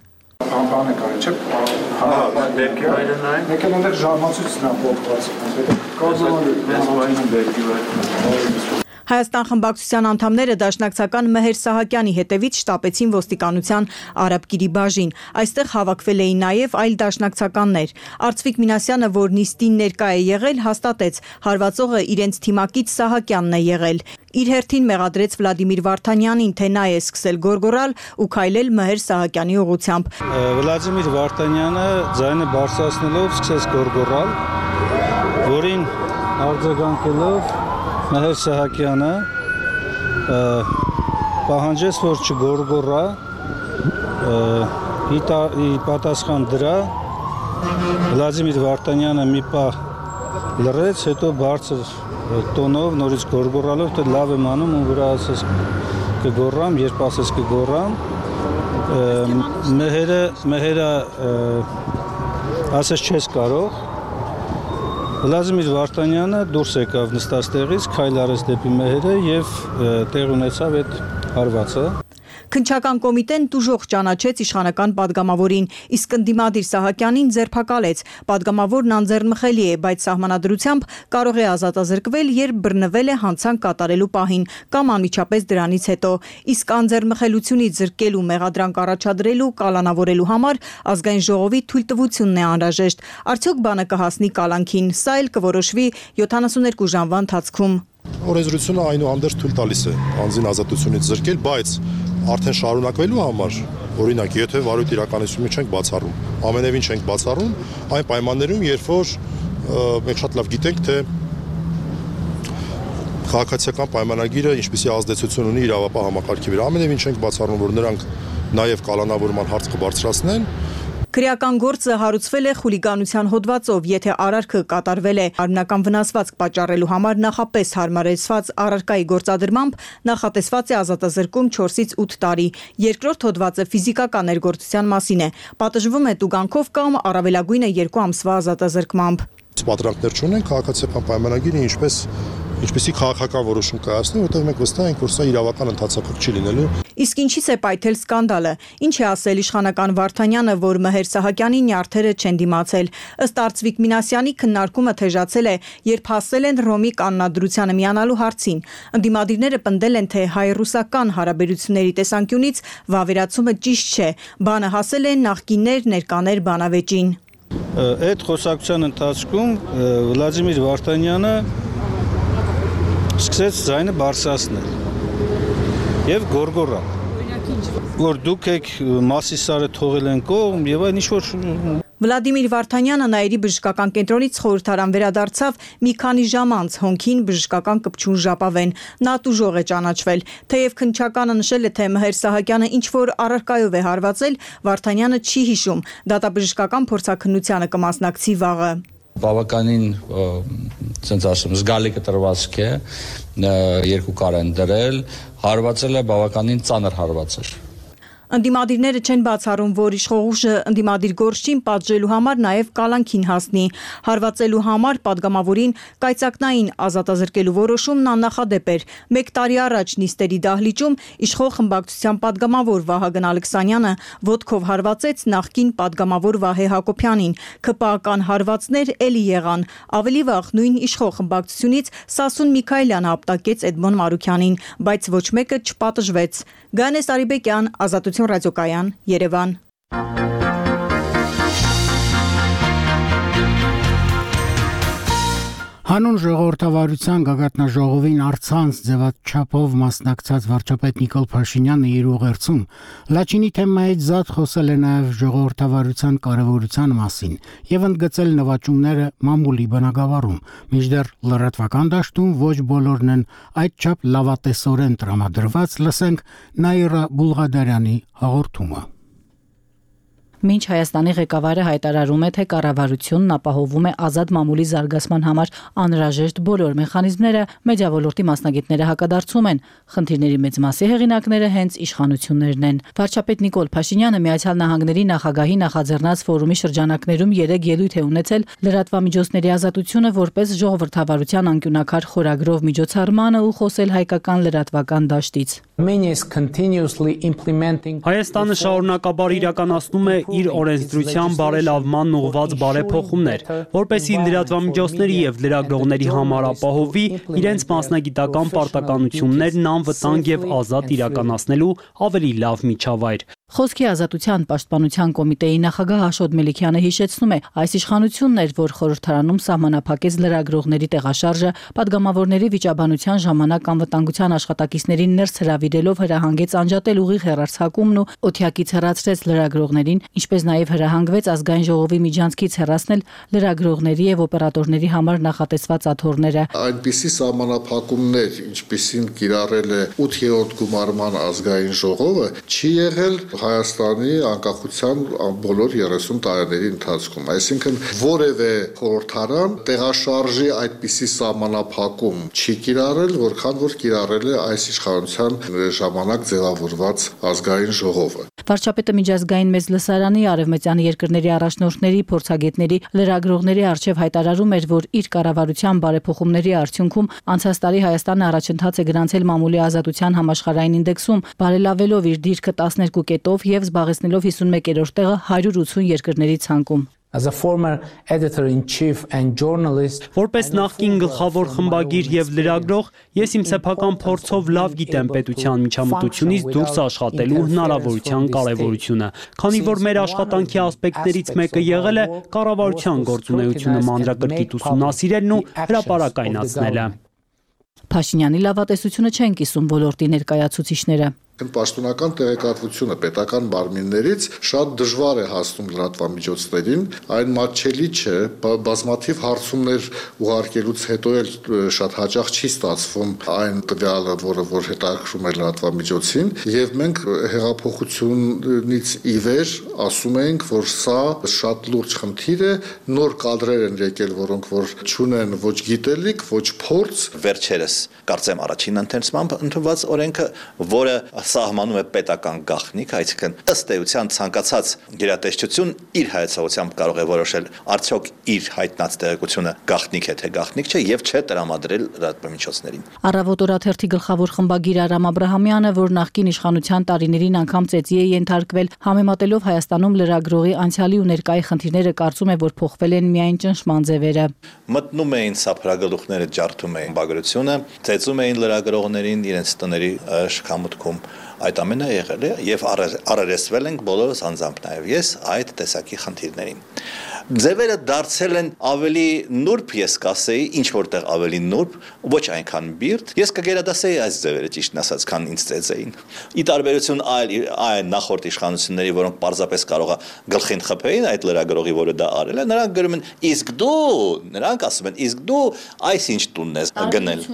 Հայաստան խմբակցության անդամները դաշնակցական Մեհեր Սահակյանի հետևից շտապեցին ոստիկանության Արաբկիրի բաժին։ Այստեղ հավաքվել էին նաև այլ դաշնակցականներ։ Արծվիկ Մինասյանը, որ նիստին ներկա է եղել, հաստատեց՝ հարվածողը իրենց թիմակից Սահակյանն է եղել։ Իր հերթին մեղադրեց Վլադիմիր Վարդանյանին, թե նա է սկսել գորգորալ ու քայլել Մեհեր Սահակյանի ուղղությամբ։ Վլադիմիր Վարդանյանը ձայնը բարձրացնելով սկսեց գորգորալ, որին արձագանքելով Մեհեր Սահակյանը պահանջեց, որ չգորգորա, ի պատասխան դրա Վլադիմիր Վարդանյանը մի պահ լռեց, հետո բարձր տոնով նորից գորգորալով, թե լավ եմ անում ու վրա ասես կգորրամ, երբ ասես կգորրամ, Մեհերը ասես չես կարող, Վլադիմիր Վարդանյանը դուրս եկավ նստած տեղից, քայլ արեց դեպի Մեհերը եւ տեղ ունեցավ այդ հարվածը։ Քննչական կոմիտեն տուժող ճանաչեց իշխանական падգամավորին, իսկ ընդդիմադիր Սահակյանին ձերբակալեց։ Падգամավորն անձեռնմխելի է, բայց սահմանադրությամբ կարող է ազատազրկվել, երբ բռնվել է հանցանք կատարելու պահին կամ անմիջապես դրանից հետո։ Իսկ անձեռնմխելիությունից զրկելու, մեղադրանք առաջադրելու, կալանավորելու համար ազգային ժողովի թույլտվությունն է անհրաժեշտ։ Արդյոք բանը կհասնի կալանքին, սա էլ կորոշվի 72 ժամվա ընթացքում։ Օրենսդրությունը այնուհանդերձ թույլ տալիս է անձին ազատությունից զրկել, բայց արդեն շարունակվելու համար, օրինակ, եթե վարույթ իրականացումը չենք բացառում, ամենևին չենք բացառում, այն պայմաններում, երբ որ մենք շատ լավ գիտենք, թե քաղաքացիական պայմանագիրը ինչպիսի ազդեցություն ունի իրավապահ համակարգի վրա, ամենևին չենք բացառում, որ նրանք նաև կալանավորման հարց կբարձրացնեն։ Քրեական գործը հարուցվել է խուլիգանության հոդվածով, եթե արարքը կատարվել է արմնական վնասվածք պատճառելու համար նախապես հարմարեցված առարկայի գործադրմամբ, նախատեսված է ազատազրկում 4-ից 8 տարի։ Երկրորդ հոդվածը ֆիզիկական ներգործության մասին է, պատժվում է տուգանքով կամ առավելագույնը 2 ամսվա ազատազրկմամբ։ Պատրանքներ չունեն քաղաքացիական պայմանագիրը ինչպեսի քաղաքական որոշում կայացնի, որտեղ մենք վստահ ենք, որ սա իրավական ընթացափակ չի լինելու։ Իսկ ինչի՞ց է պայթել սկանդալը։ Ինչ է ասել իշխանական Վարդանյանը, որ Մեհեր Սահակյանի նյարդերը չեն դիմացել։ Ըստ Արծվիկ Մինասյանի քննարկումը թեժացել է, երբ հասել են Ռոմի կանոնադրությանը միանալու հարցին։ Ընդդիմադիրները պնդել են, թե հայ-ռուսական հարաբերությունների տեսանկյունից վավերացումը ճիշտ չէ։ Բանը հասել է նախկիններ ներկաներ բանավեճին։ Այդ խոսակցության ընթացքում Վլադիմիր Վարդանյանը սկսեց ձայնը բարձրացնել եւ գորգորալ, որ դուք եք Մասիսարը թողել են կողմ եւ այն ինչ-որ Վլադիմիր Վարդանյանը Նաիրի բժշկական կենտրոնից խորհրդարան վերադարձավ մի քանի ժամ անց, հոնքին բժշկական կպչուն ժապավեն։ Նա տուժող է ճանաչվել։ Թեև քննչականը նշել է, թե Մեհեր Սահակյանը ինչ-որ առարկայով է հարվածել, Վարդանյանը չի հիշում, դատաբժշկական փորձաքննությանը կմասնակցի վաղը։ Բավականին ցենց ասում զգալի կտրվածք է, 2 կար են դրել, հարվածել է բավականին ծանր հարված էր։ Ընդդիմադիրները չեն բացառում, որ իշխողուժը ընդդիմադիր գործչին պատժելու համար նաև կալանքին հասնի։ Հարվածելու համար падգամավորին կայծակնային ազատազրկելու որոշումն աննախադեպ էր։ 1 տարի առաջ նիստերի դահլիճում իշխող խմբակցության падգամավոր Վահագն Ալեքսանյանը ոտքով հարվածեց նախկին падգամավոր Վահե Հակոբյանին։ ՔՊԱ-ական հարվածներ էլի եղան։ Ավելի վաղ նույն իշխող խմբակցությունից Սասուն Միքայելյանը ապտակեց Էդմոն Մարուքյանին, բայց ոչ մեկը չպատժվեց։ Գանե Սարիբեկյան, Ազատություն ռադիոկայան, Երևան։ Հանուն ժողովրդավարության գագաթնաժողովին առցանց ձևաչափով մասնակցած վարչապետ Նիկոլ Փաշինյանը իր ուղերձում Լաչինի թեմայից զատ խոսել է նաև ժողովրդավարության կարևորության մասին եւ ընդգծել նվաճումները մամուլի բնագավառում, մինչդեռ լրատվական դաշտում ոչ բոլորն են այդչափ լավատեսորեն տրամադրված, լսենք Նաիրա Բուլղադարյանի հաղորդումը։ Մինչ Հայաստանի ղեկավարը հայտարարում է, թե կառավարությունն ապահովում է ազատ մամուլի զարգացման համար անհրաժեշտ բոլոր մեխանիզմները, մեդիավոլորտի մասնագետները հակադարձում են։ Խնդիրների մեծ մասի հեղինակները հենց իշխանություններն են։ Վարչապետ Նիկոլ Փաշինյանը Միացյալ Նահանգների նախագահի նախաձեռնած ֆորումի շրջանակներում 3 ելույթ է ունեցել լրատվամիջոցների ազատությունը որպես ժողովրդավարության անկյունաքար խորագրով միջոցառմանը ու խոսել հայկական լրատվական դաշտից։ Հայաստանը շարունակաբար իրականացնում է իր օրենսդրության բարելավման ուղղված բարեփոխումներ, որպեսզի լրատվամիջոցների եւ լրագրողների համար ապահովի իրենց մասնագիտական պարտականություններն անվտանգ եւ ազատ իրականացնելու ավելի լավ միջավայր։ Խոսքի ազատության պաշտպանության կոմիտեի նախագահ Աշոտ Մելիքյանը հիշեցնում է, այս իշխանությունն էր, որ խորհրդարանում սահմանափակեց լրագրողների տեղաշարժը, падգամավորների վիճաբանության ժամանակ անվտանգության աշխատակիցներին ներս հրավիրելով հրահանգեց անջատել ուղիղ հեռարձակումն ու օթյակից հեռացրեց լրագրողներին, ինչպես նաև հրահանգվեց ազգային ժողովի միջանցքից հեռացնել լրագրողների եւ օպերատորների համար նախատեսված աթոռները։ Այնպիսի սահմանափակումներ, ինչպիսին կիրառել է 8-րդ գումարման ազգային ժողովը, չի եղել Հայաստանի անկախության բոլոր 30 տարիների ընթացքում, այսինքն որևէ խորհրդարան տեղաշարժի այդպիսի սահմանափակում չի կիրառել, որքան որ կիրառել է այս իշխանության ժամանակ ձևավորված ազգային ժողովը։ Վարչապետը միջազգային մեծ լսարանի արևմտյան երկրների առաջնորդների, փորձագետների, լրագրողների առջև հայտարարում էր, որ իր կառավարության բարեփոխումների արդյունքում անցած տարի Հայաստանը առաջընթաց է գրանցել մամուլի ազատության համաշխարհային ինդեքսում, բարելավելով իր դիրքը 12 կետով եւ զբաղեցնելով 51-րդ տեղը 180 երկրների ցանկում։ Որպես նախկին գլխավոր խմբագիր եւ լրագրող, ես իմ սեփական փորձով լավ գիտեմ պետության միջամտությունից դուրս աշխատելու հնարավորության կարեւորությունը, քանի որ մեր աշխատանքի ասպեկտներից մեկը եղել է կառավարության գործունեությունը մանրակրկիտ ուսումնասիրելն ու հրապարակայնացնելը։ Փաշինյանի լավատեսությունը չեն կիսում ոլորտի ներկայացուցիչները։ Պաշտոնական տեղեկատվությունը պետական մարմիններից շատ դժվար է հասնում լրատվամիջոցներին, այն մատչելի չէ, բազմաթիվ հարցումներ ուղարկելուց հետո էլ շատ հաճախ չի ստացվում այն տվյալը, որ հետաքրքրում է լրատվամիջոցին, եւ մենք հեղափոխությունից ի վեր ասում ենք, որ սա շատ լուրջ խնդիր է, նոր կադրեր են եկել, որոնք որ չունեն ոչ գիտելիք, ոչ փորձ։ Վերջերս կարծեմ առաջին ընթերցմամբ ընդունված օրենքը, որը սահմանում է պետական գաղտնիք, այսինքն ըստ էության ցանկացած գերատեսչություն իր հայեցողությամբ կարող է որոշել արդյոք իր հայտնած տեղեկությունը գաղտնիք է թե գաղտնիք չէ եւ չէ տրամադրել լրատվամիջոցներին։ Առավոտ օրաթերթի գլխավոր խմբագիր Արամ Աբրահամյանը, որ նախկին իշխանության տարիներին անգամ ծեծի է ենթարկվել, համեմատելով Հայաստանում լրագրողի անցյալի ու ներկայի խնդիրները, կարծում է, որ փոխվել են միայն ճնշման ձևերը։ Մտնում էին սափրագլուխները, ջարդում էին բագրությունը, ծեծում էին լրագրողներին իրենց տների շքամուտքում։ Այդ ամենը եղել է եւ առերեսվել ենք բոլորս անձամբ նաեւ ես այդ տեսակի խնդիրներին։ Ձևերը դարձել են ավելի նուրբ, ես կասեի, ինչ որտեղ ավելի նուրբ, ոչ այնքան բիրտ։ Ես կգերադասեի այս ձևերը ճիշտն ասած, քան ինձ ծեծեին։ Ի տարբերություն այլ նախորդ իշխանությունների, որոնք պարզապես կարողա գլխին խփեին այդ լրագրողի, որը դա արել է, նրանք գրում են իսկ դու, նրանք ասում են իսկ դու այս ինչ տունն ես գնել։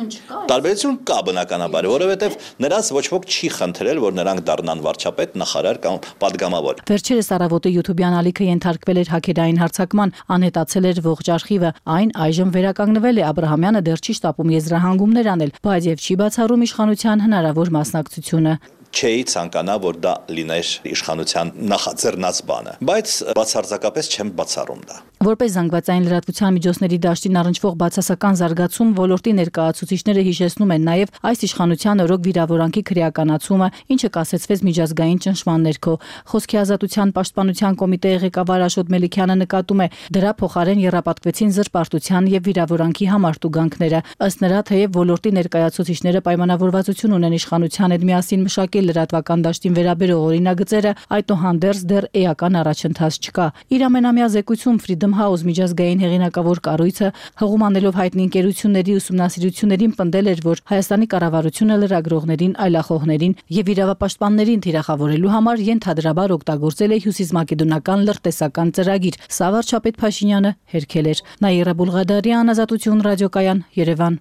Տարբերություն կա բնականաբար, որովհետև նրանց ոչ ոք չի խնդրել, որ նրանք դառնան վարչապետ, նախարար կամ падգամավոր։ Վերջերս առավոտը YouTube-յան ալիքը ենթարկվել էր հակերային հարձակման, անհետացել էր ողջ արխիվը, այն այժմ վերականգնվել է, Աբրահամյանը դեռ չի շտապում եզրահանգումներ անել, բայց եւ չի բացառում իշխանության հնարավոր մասնակցությունը։ Չէի ցանկանա, որ դա լիներ իշխանության նախաձեռնած բանը, բայց բացարձակապես չեմ բացառում դա։ Որպես զանգվածային լրատվության միջոցների դաշտին առնչվող բացասական զարգացում, ոլորտի ներկայացուցիչները հիշեցնում են նաև այս իշխանության օրոք վիրավորանքի քրեականացումը, ինչը կասեցվեց միջազգային ճնշման ներքո։ Խոսքի ազատության պաշտպանության կոմիտեի ղեկավար Աշոտ Մելիքյանը նկատում է, դրա փոխարեն եռապատկվեցին զրպարտության եւ վիրավորանքի համարտուգանքները։ Ըստ նրա, թեև ոլորտի ներկայացուցիչները պայմանավորվածություն ունեն իշխանության հետ միասին մշակել լրատվական դաշտին վերաբերող օրինագծերը, այդուհանդերձ դեռ էական առաջընթաց չկա։ Իր ամենամյա զեկույցում Freedom House միջազգային հեղինակավոր կառույցը հղում անելով հայտնի ընկերությունների ուսումնասիրություններին պնդել էր, որ Հայաստանի կառավարությունը լրագրողներին, այլախոհներին եւ իրավապաշտպաններին թիրախավորելու համար ենթադրաբար օգտագործել է հյուսիսմակեդոնական լրտեսական ծրագիր։ Սա վարչապետ Փաշինյանը հերքել էր։ Նաիրա Բուլղադարյան, Ազատություն ռադիոկայան, Երևան։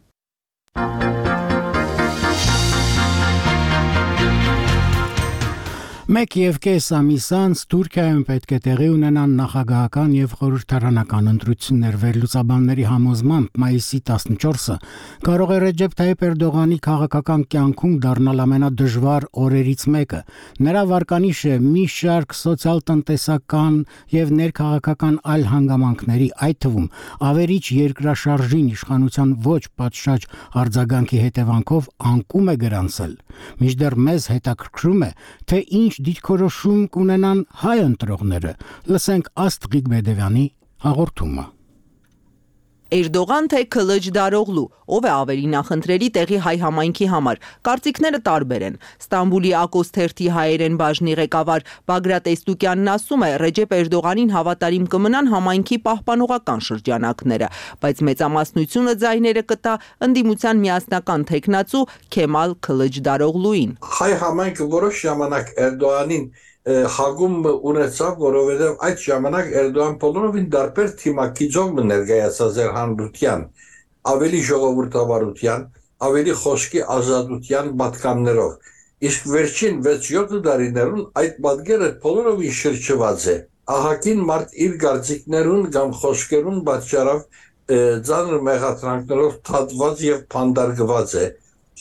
1.5 ամիս անց Թուրքիայում պետք է տեղի ունենան նախագահական եւ խորհրդարանական ընտրություններ վերլուծաբանների համոզմամբ մայիսի 14-ը կարող է Ռեջեփ Թայիփ Էրդողանի քաղաքական կյանքում դառնալ ամենադժվար օրերից մեկը։ Նրա վարկանիշը մի շարք սոցիալ-տնտեսական եւ ներքաղաքական այլ հանգամանքների, այդ թվում ավերիչ երկրաշարժին իշխանության ոչ պատշաճ արձագանքի հետևանքով անկում է գրանցել։ Մինչդեռ մեզ հետաքրքրում է, թե ինչ դիրքորոշում կունենան հայ ընտրողները։ Լսենք Աստղիկ Բեդևյանի հաղորդումը։ Էրդողան թե Քլիչ Դարօղլու, ով է ավելի նախընտրելի տեղի հայ համայնքի համար։ Կարծիքները տարբեր են։ Ստամբուլի Ակոս թերթի հայերեն բաժնի ղեկավար Բագրատ Էստուկյանն ասում է, Ռեջեփ Էրդողանին հավատարիմ կմնան համայնքի պահպանողական շրջանակները, բայց մեծամասնությունը ձայները կտա ընդդիմության միասնական թեկնածու Քեմալ Քլիչ Դարօղլուին։ Հայ համայնքը որոշ ժամանակ Էրդողանին հագում ունեցավ, որովհետև այդ ժամանակ Էրդողան բոլորովին դարբեր թիմակիցով ներկայացած էր հանրության, ավելի ժողովրդավարության, ավելի խոսքի ազատության պատկաններով։ Իսկ վերջին 6-7 տարիներուն այդ պատկերը բոլորովին շրջված է։ Ահագին մարդ իր գործիքներուն կամ խոսքերուն պատճառով ծանր մեղադրանքներով թատված եւ փանդարգված է։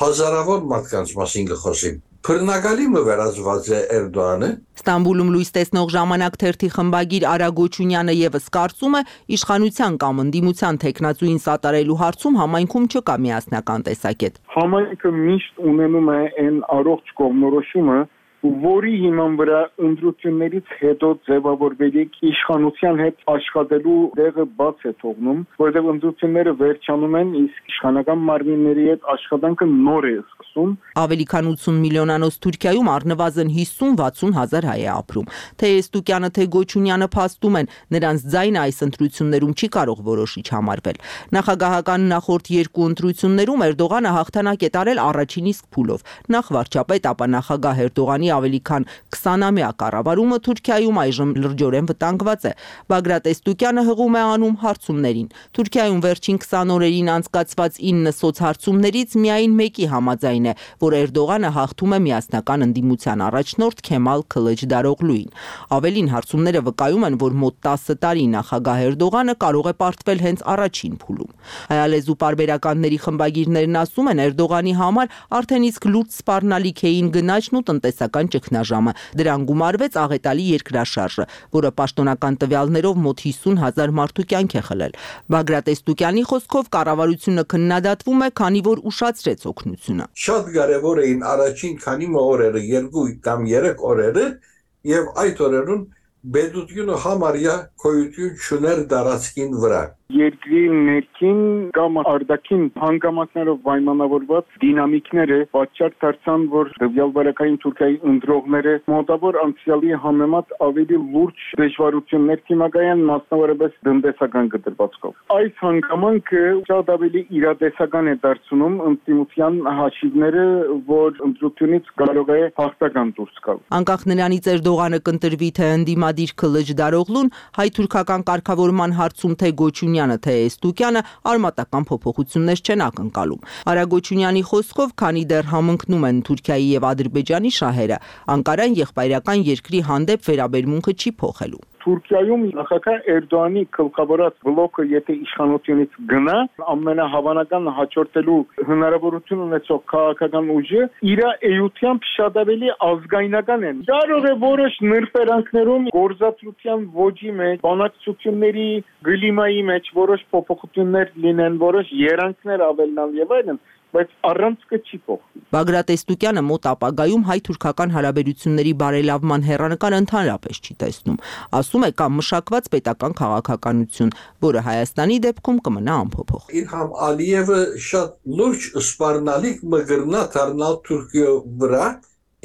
Հազարավոր մարդկանց մասին կխոսեմ։ Բռնակալի վերածված է Էրդողանը։ Ստամբուլում լույս տեսնող ժամանակ թերթի խմբագիր Արա Գոչունյանը եւս կարծում է, իշխանության կամ ընդդիմության թեկնածուին սատարելու հարցում համայնքում չկա միասնական տեսակետ։ Համայնքը միշտ ունենում է այն առողջ կողմնորոշումը, որի հիման վրա ընտրություններից հետո ձևավորվելիք իշխանության հետ աշխատելու դեղը բաց է թողնում, որովհետև ընտրությունները վերջանում են, իսկ իշխանական մարմինների հետ աշխատանքը նոր է սկսում։ Ավելի քան 80 միլիոնանոց Թուրքիայում առնվազն 50-60 հազար հայ է ապրում։ Թե Էստուկյանը, թե Գոչունյանը փաստում են, նրանց ձայնը այս ընտրություններում չի կարող որոշիչ համարվել։ Նախագահական նախորդ երկու ընտրություններում Էրդողանը հաղթանակ է տարել առաջին իսկ փուլով։ Նախ վարչապետ, ապա նախագահ Էրդողանի ավելի քան 20-ամյա կառավարումը Թուրքիայում այժմ լրջորեն վտանգված է։ Բագրատ Էստուկյանը հղում է անում հարցումներին։ Թուրքիայում վերջին 20 օրերին անցկացված 9 սոցհարցումներից միայն մեկի համաձայն է, որ Էրդողանը հաղթում է միասնական ընդդիմության առաջնորդ Քեմալ Քլիչ Դարօղլուին։ Ավելին, հարցումները վկայում են, որ մոտ 10 տարի նախագահ Էրդողանը կարող է պարտվել հենց առաջին փուլում։ Հայալեզու պարբերականների խմբագիրներն ասում են, Էրդողանի համար արդեն իսկ լուրջ սպառնալիք էին գնաճն ու տնտեսական ճգնաժամը։ Դրան գումարվեց աղետալի երկրաշարժը, որը պաշտոնական տվյալներով մոտ 50,000 մարդու կյանք է խլել։ Բագրատ Էստուկյանի խոսքով կառավարությունը քննադատվում է, քանի որ ուշացրեց օգնությունը։ Շատ կարևոր էին առաջին քանի օրերը, 2 կամ 3 օրերը, եւ այդ օրերուն Բեդուտյունը համարյա քոյություն չուներ դարածքին վրա։ Երկրի ներքին կամ արտաքին հանգամանքներով պայմանավորված դինամիկները պատճառ դարձան, որ տվյալ վարակային Թուրքիայի ընտրողները մոտավոր անցյալի համեմատ ավելի լուրջ դժվարություններ կմակայան, մասնավորապես տնտեսական կտրվածքով։ Այս հանգամանքը շատ ավելի իրատեսական է դարձնում ընդդիմության հաշիվները, որ ընտրությունից կարող է հաղթական դուրս գալ։ Անկախ նրանից Էրդողանը կընտրվի թե ընդդիմադիր Քլիչ Դարօղլուն, հայ-թուրքական կարգավորման հարցում թե Գոչունյանը, թե Էստուկյանը արմատական փոփոխություններ չեն ակնկալում։ Արա Գոչունյանի խոսքով, քանի դեռ համընկնում են Թուրքիայի եւ Ադրբեջանի շահերը, Անկարան եղբայրական երկրի հանդեպ վերաբերմունքը չի փոխելու։ Թուրքիայում նախագահ Էրդողանի գլխավորած բլոկը եթե իշխանությունից գնա, ամենահավանական հաջորդելու հնարավորություն ունեցող քաղաքական ուժը իր էությամբ շատ ավելի ազգայնական են։ Կարող է որոշ նրբերանգներում գործածության ոճի մեջ, բանակցությունների գլիմայի մեջ որոշ փոփոխություններ լինեն, որոշ երանգներ ավելնալ եւ այլն, բայց առանցքը չի փոխվի։ Բագրատ Էստուկյանը մոտ ապագայում հայ-թուրքական հարաբերությունների բարելավման հեռանկար ընդհանրապես չի տեսնում։ Ասում է, կա մշակված պետական քաղաքականություն, որը Հայաստանի դեպքում կմնա անփոփոխ։ Իլհամ Ալիևը շատ լուրջ սպառնալիք մգրնա դառնալ Թուրքիո վրա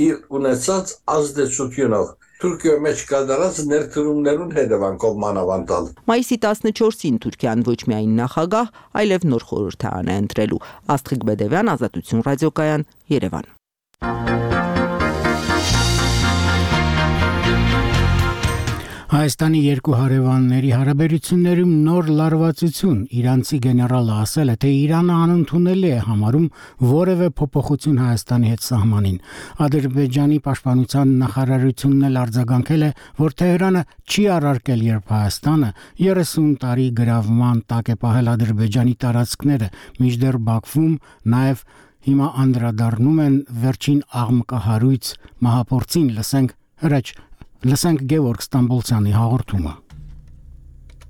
իր ունեցած ազդեցությունով։ Թուրքիայի մեջ կատարած ներդրումներուն հետևանքով մանավանդալ։ Մայիսի 14-ին Թուրքիան ոչ միայն նախագահ, այլև նոր խորհրդարան է ընտրելու։ Աստղիկ Բեդևյան, Ազատություն ռադիոկայան, Երևան։ Հայաստանի երկու հարևանների հարաբերություններում նոր լարվածություն իրանցի գեներալը ասել է, թե Իրանը անընդունելի է համարում որևէ փոփոխություն Հայաստանի հետ սահմանին։ Ադրբեջանի պաշտպանության նախարարությունն էլ արձագանքել է, որ Թեհրանը չի առարկել, երբ Հայաստանը 30 տարի գրավման տակ է պահել Ադրբեջանի տարածքները, մինչդեռ Բաքվում նաև հիմա անդրադառնում են վերջին աղմկահարույց մահապորցին, լսենք Գևորգ Ստամբոլցյանի հաղորդումը։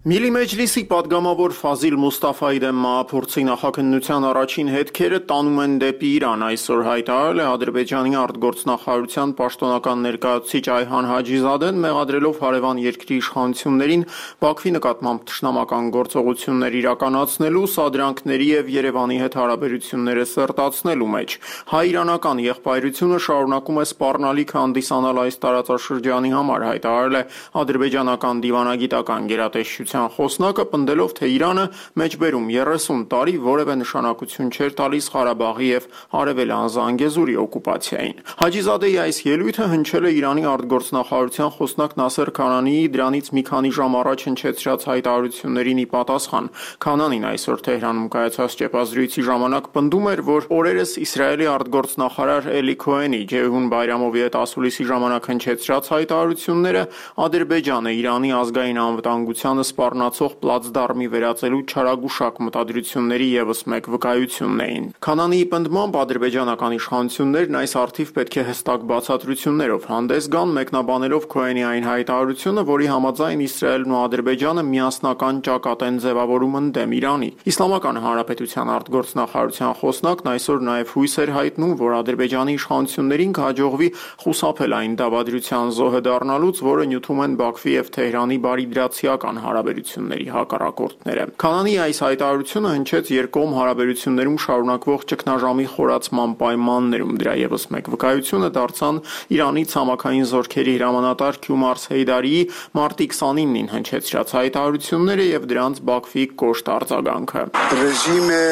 Միլի Մեջլիսի падգամավոր Ֆազիլ Մուստաֆայի դեմ մահափորձի նախաքննության առաջին հետքերը տանում են դեպի Իրան, այսօր հայտարարել է Ադրբեջանի արտգործնախարարության պաշտոնական ներկայացուցիչ Այհան Հաջիզադեն, մեղադրելով հարևան երկրի իշխանություններին Բաքվի նկատմամբ թշնամական գործողություններ իրականացնելու, սադրանքների եւ Երևանի հետ հարաբերությունները սերտացնելու մեջ։ Հայ-իրանական եղբայրությունը շարունակում է սպառնալիք հանդիսանալ այս տարածաշրջանի համար, հայտարարել է ադրբեջանական դիվանագիտական գերատեսչության խոսնակը, պնդելով, թե Իրանը մեջբերում 30 տարի որևէ նշանակություն չէր տալիս Ղարաբաղի եւ Արևելյան Զանգեզուրի օկուպացիային։ Հաջիզադեի այս ելույթը հնչել է Իրանի արտգործնախարարության խոսնակ Նասեր Քանանիի դրանից մի քանի ժամ առաջ հնչեցրած հայտարարություններին ի պատասխան։ Քանանին այսօր Թեհրանում կայացած ճեպազրույցի ժամանակ պնդում էր, որ օրերս Իսրայելի արտգործնախարար Էլի Քոհենի Ջեհուն Բայրամովի հետ ասուլիսի ժամանակ հնչեցրած հայտարարությունները Ադրբեջանը Իրանի ազգային անվտանգությանը սպառնացող պլացդարմի վերածելու չարագուշակ մտադրությունների ևս մեկ վկայությունն էին։ Քանանիի պնդմամբ ադրբեջանական իշխանություններն այս առթիվ պետք է հստակ բացատրություններով հանդես գան, մեկնաբանելով Քոհենի այն հայտարարությունը, որի համաձայն Իսրայելն ու Ադրբեջանը միասնական ճակատ են ձևավորում ընդդեմ Իրանի։ Իսլամական Հանրապետության արտգործնախարարության խոսնակն այսօր նաև հույս էր հայտնում, որ Ադրբեջանի իշխանություններին կհաջողվի խուսափել այն դավադրության զոհը դառնալուց, որը նյութում են Բաքվի եւ Թեհրանի բարիդրացիական հարաբերությունների հակառակորդները։ Քանանի այս հայտարարությունը հնչեց երկկողմ հարաբերություններում շարունակվող ճգնաժամի խորացման պայմաններում։ Դրա ևս մեկ վկայությունը դարձան Իրանի ցամաքային զորքերի հրամանատար Քյումարս Հեյդարիի մարտի 29-ին հնչեցրած հայտարարությունները եւ դրանց Բաքվի կոշտ արձագանքը։ Ռեժիմը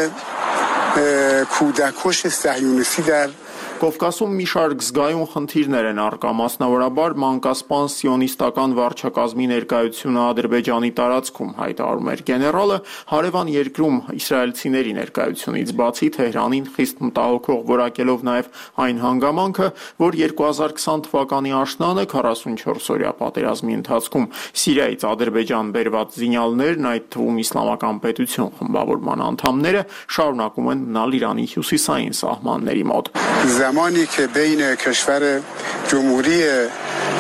քուդակոշ սահյունիսի դար Կովկասում մի շարք զգայուն խնդիրներ են առկա, մասնավորաբար մանկասպան սիոնիստական վարչակազմի ներկայությունը Ադրբեջանի տարածքում, հայտարարում էր գեներալը, հարևան երկրում իսրայելցիների ներկայությունից բացի Թեհրանին խիստ մտահոգող որակելով նաև այն հանգամանքը, որ 2020 թվականի աշնանը 44-օրյա պատերազմի ընթացքում Սիրիայից Ադրբեջան բերված զինյալներն, այդ թվում Իսլամական պետություն խմբավորման անդամները, շարունակում են մնալ Իրանի հյուսիսային սահմանների մոտ։ زمانی که بین کشور جمهوری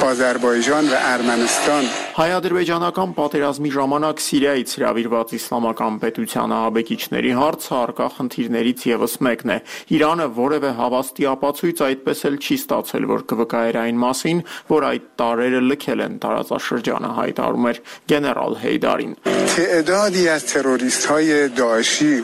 آذربایجان و ارمنستان Հայ-ադրբեջանական պատերազմի ժամանակ Սիրիայից հրավիրված իսլամական պետության ահաբեկիչների հարցը առկա խնդիրներից ևս մեկն է։ Իրանը որևէ հավաստի ապացույց այդպես էլ չի ստացել, որ կվկայեր այն մասին, որ այդ տարրերը լքել են տարածաշրջանը, հայտարարում էր գեներալ Հեյդարին։ تعدادی از تروریست‌های داعشی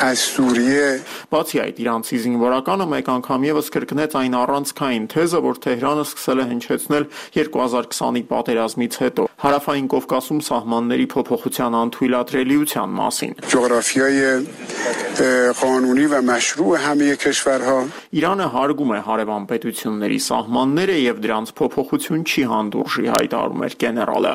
از سوریه Բացի այդ, իրանցի զինվորականը մեկ անգամ ևս կրկնեց այն առանցքային թեզը, որ Թեհրանը սկսել է հնչեցնել 2020-ի պատերազմից հետո Հարավային Կովկասում սահմանների փոփոխության անթույլատրելիության մասին։ قانونی و مشروع همه کشورها Իրանը հարգում է հարևան պետությունների սահմանները եւ դրանց փոփոխություն չի հանդուրժի, հայտարարում էր գեներալը։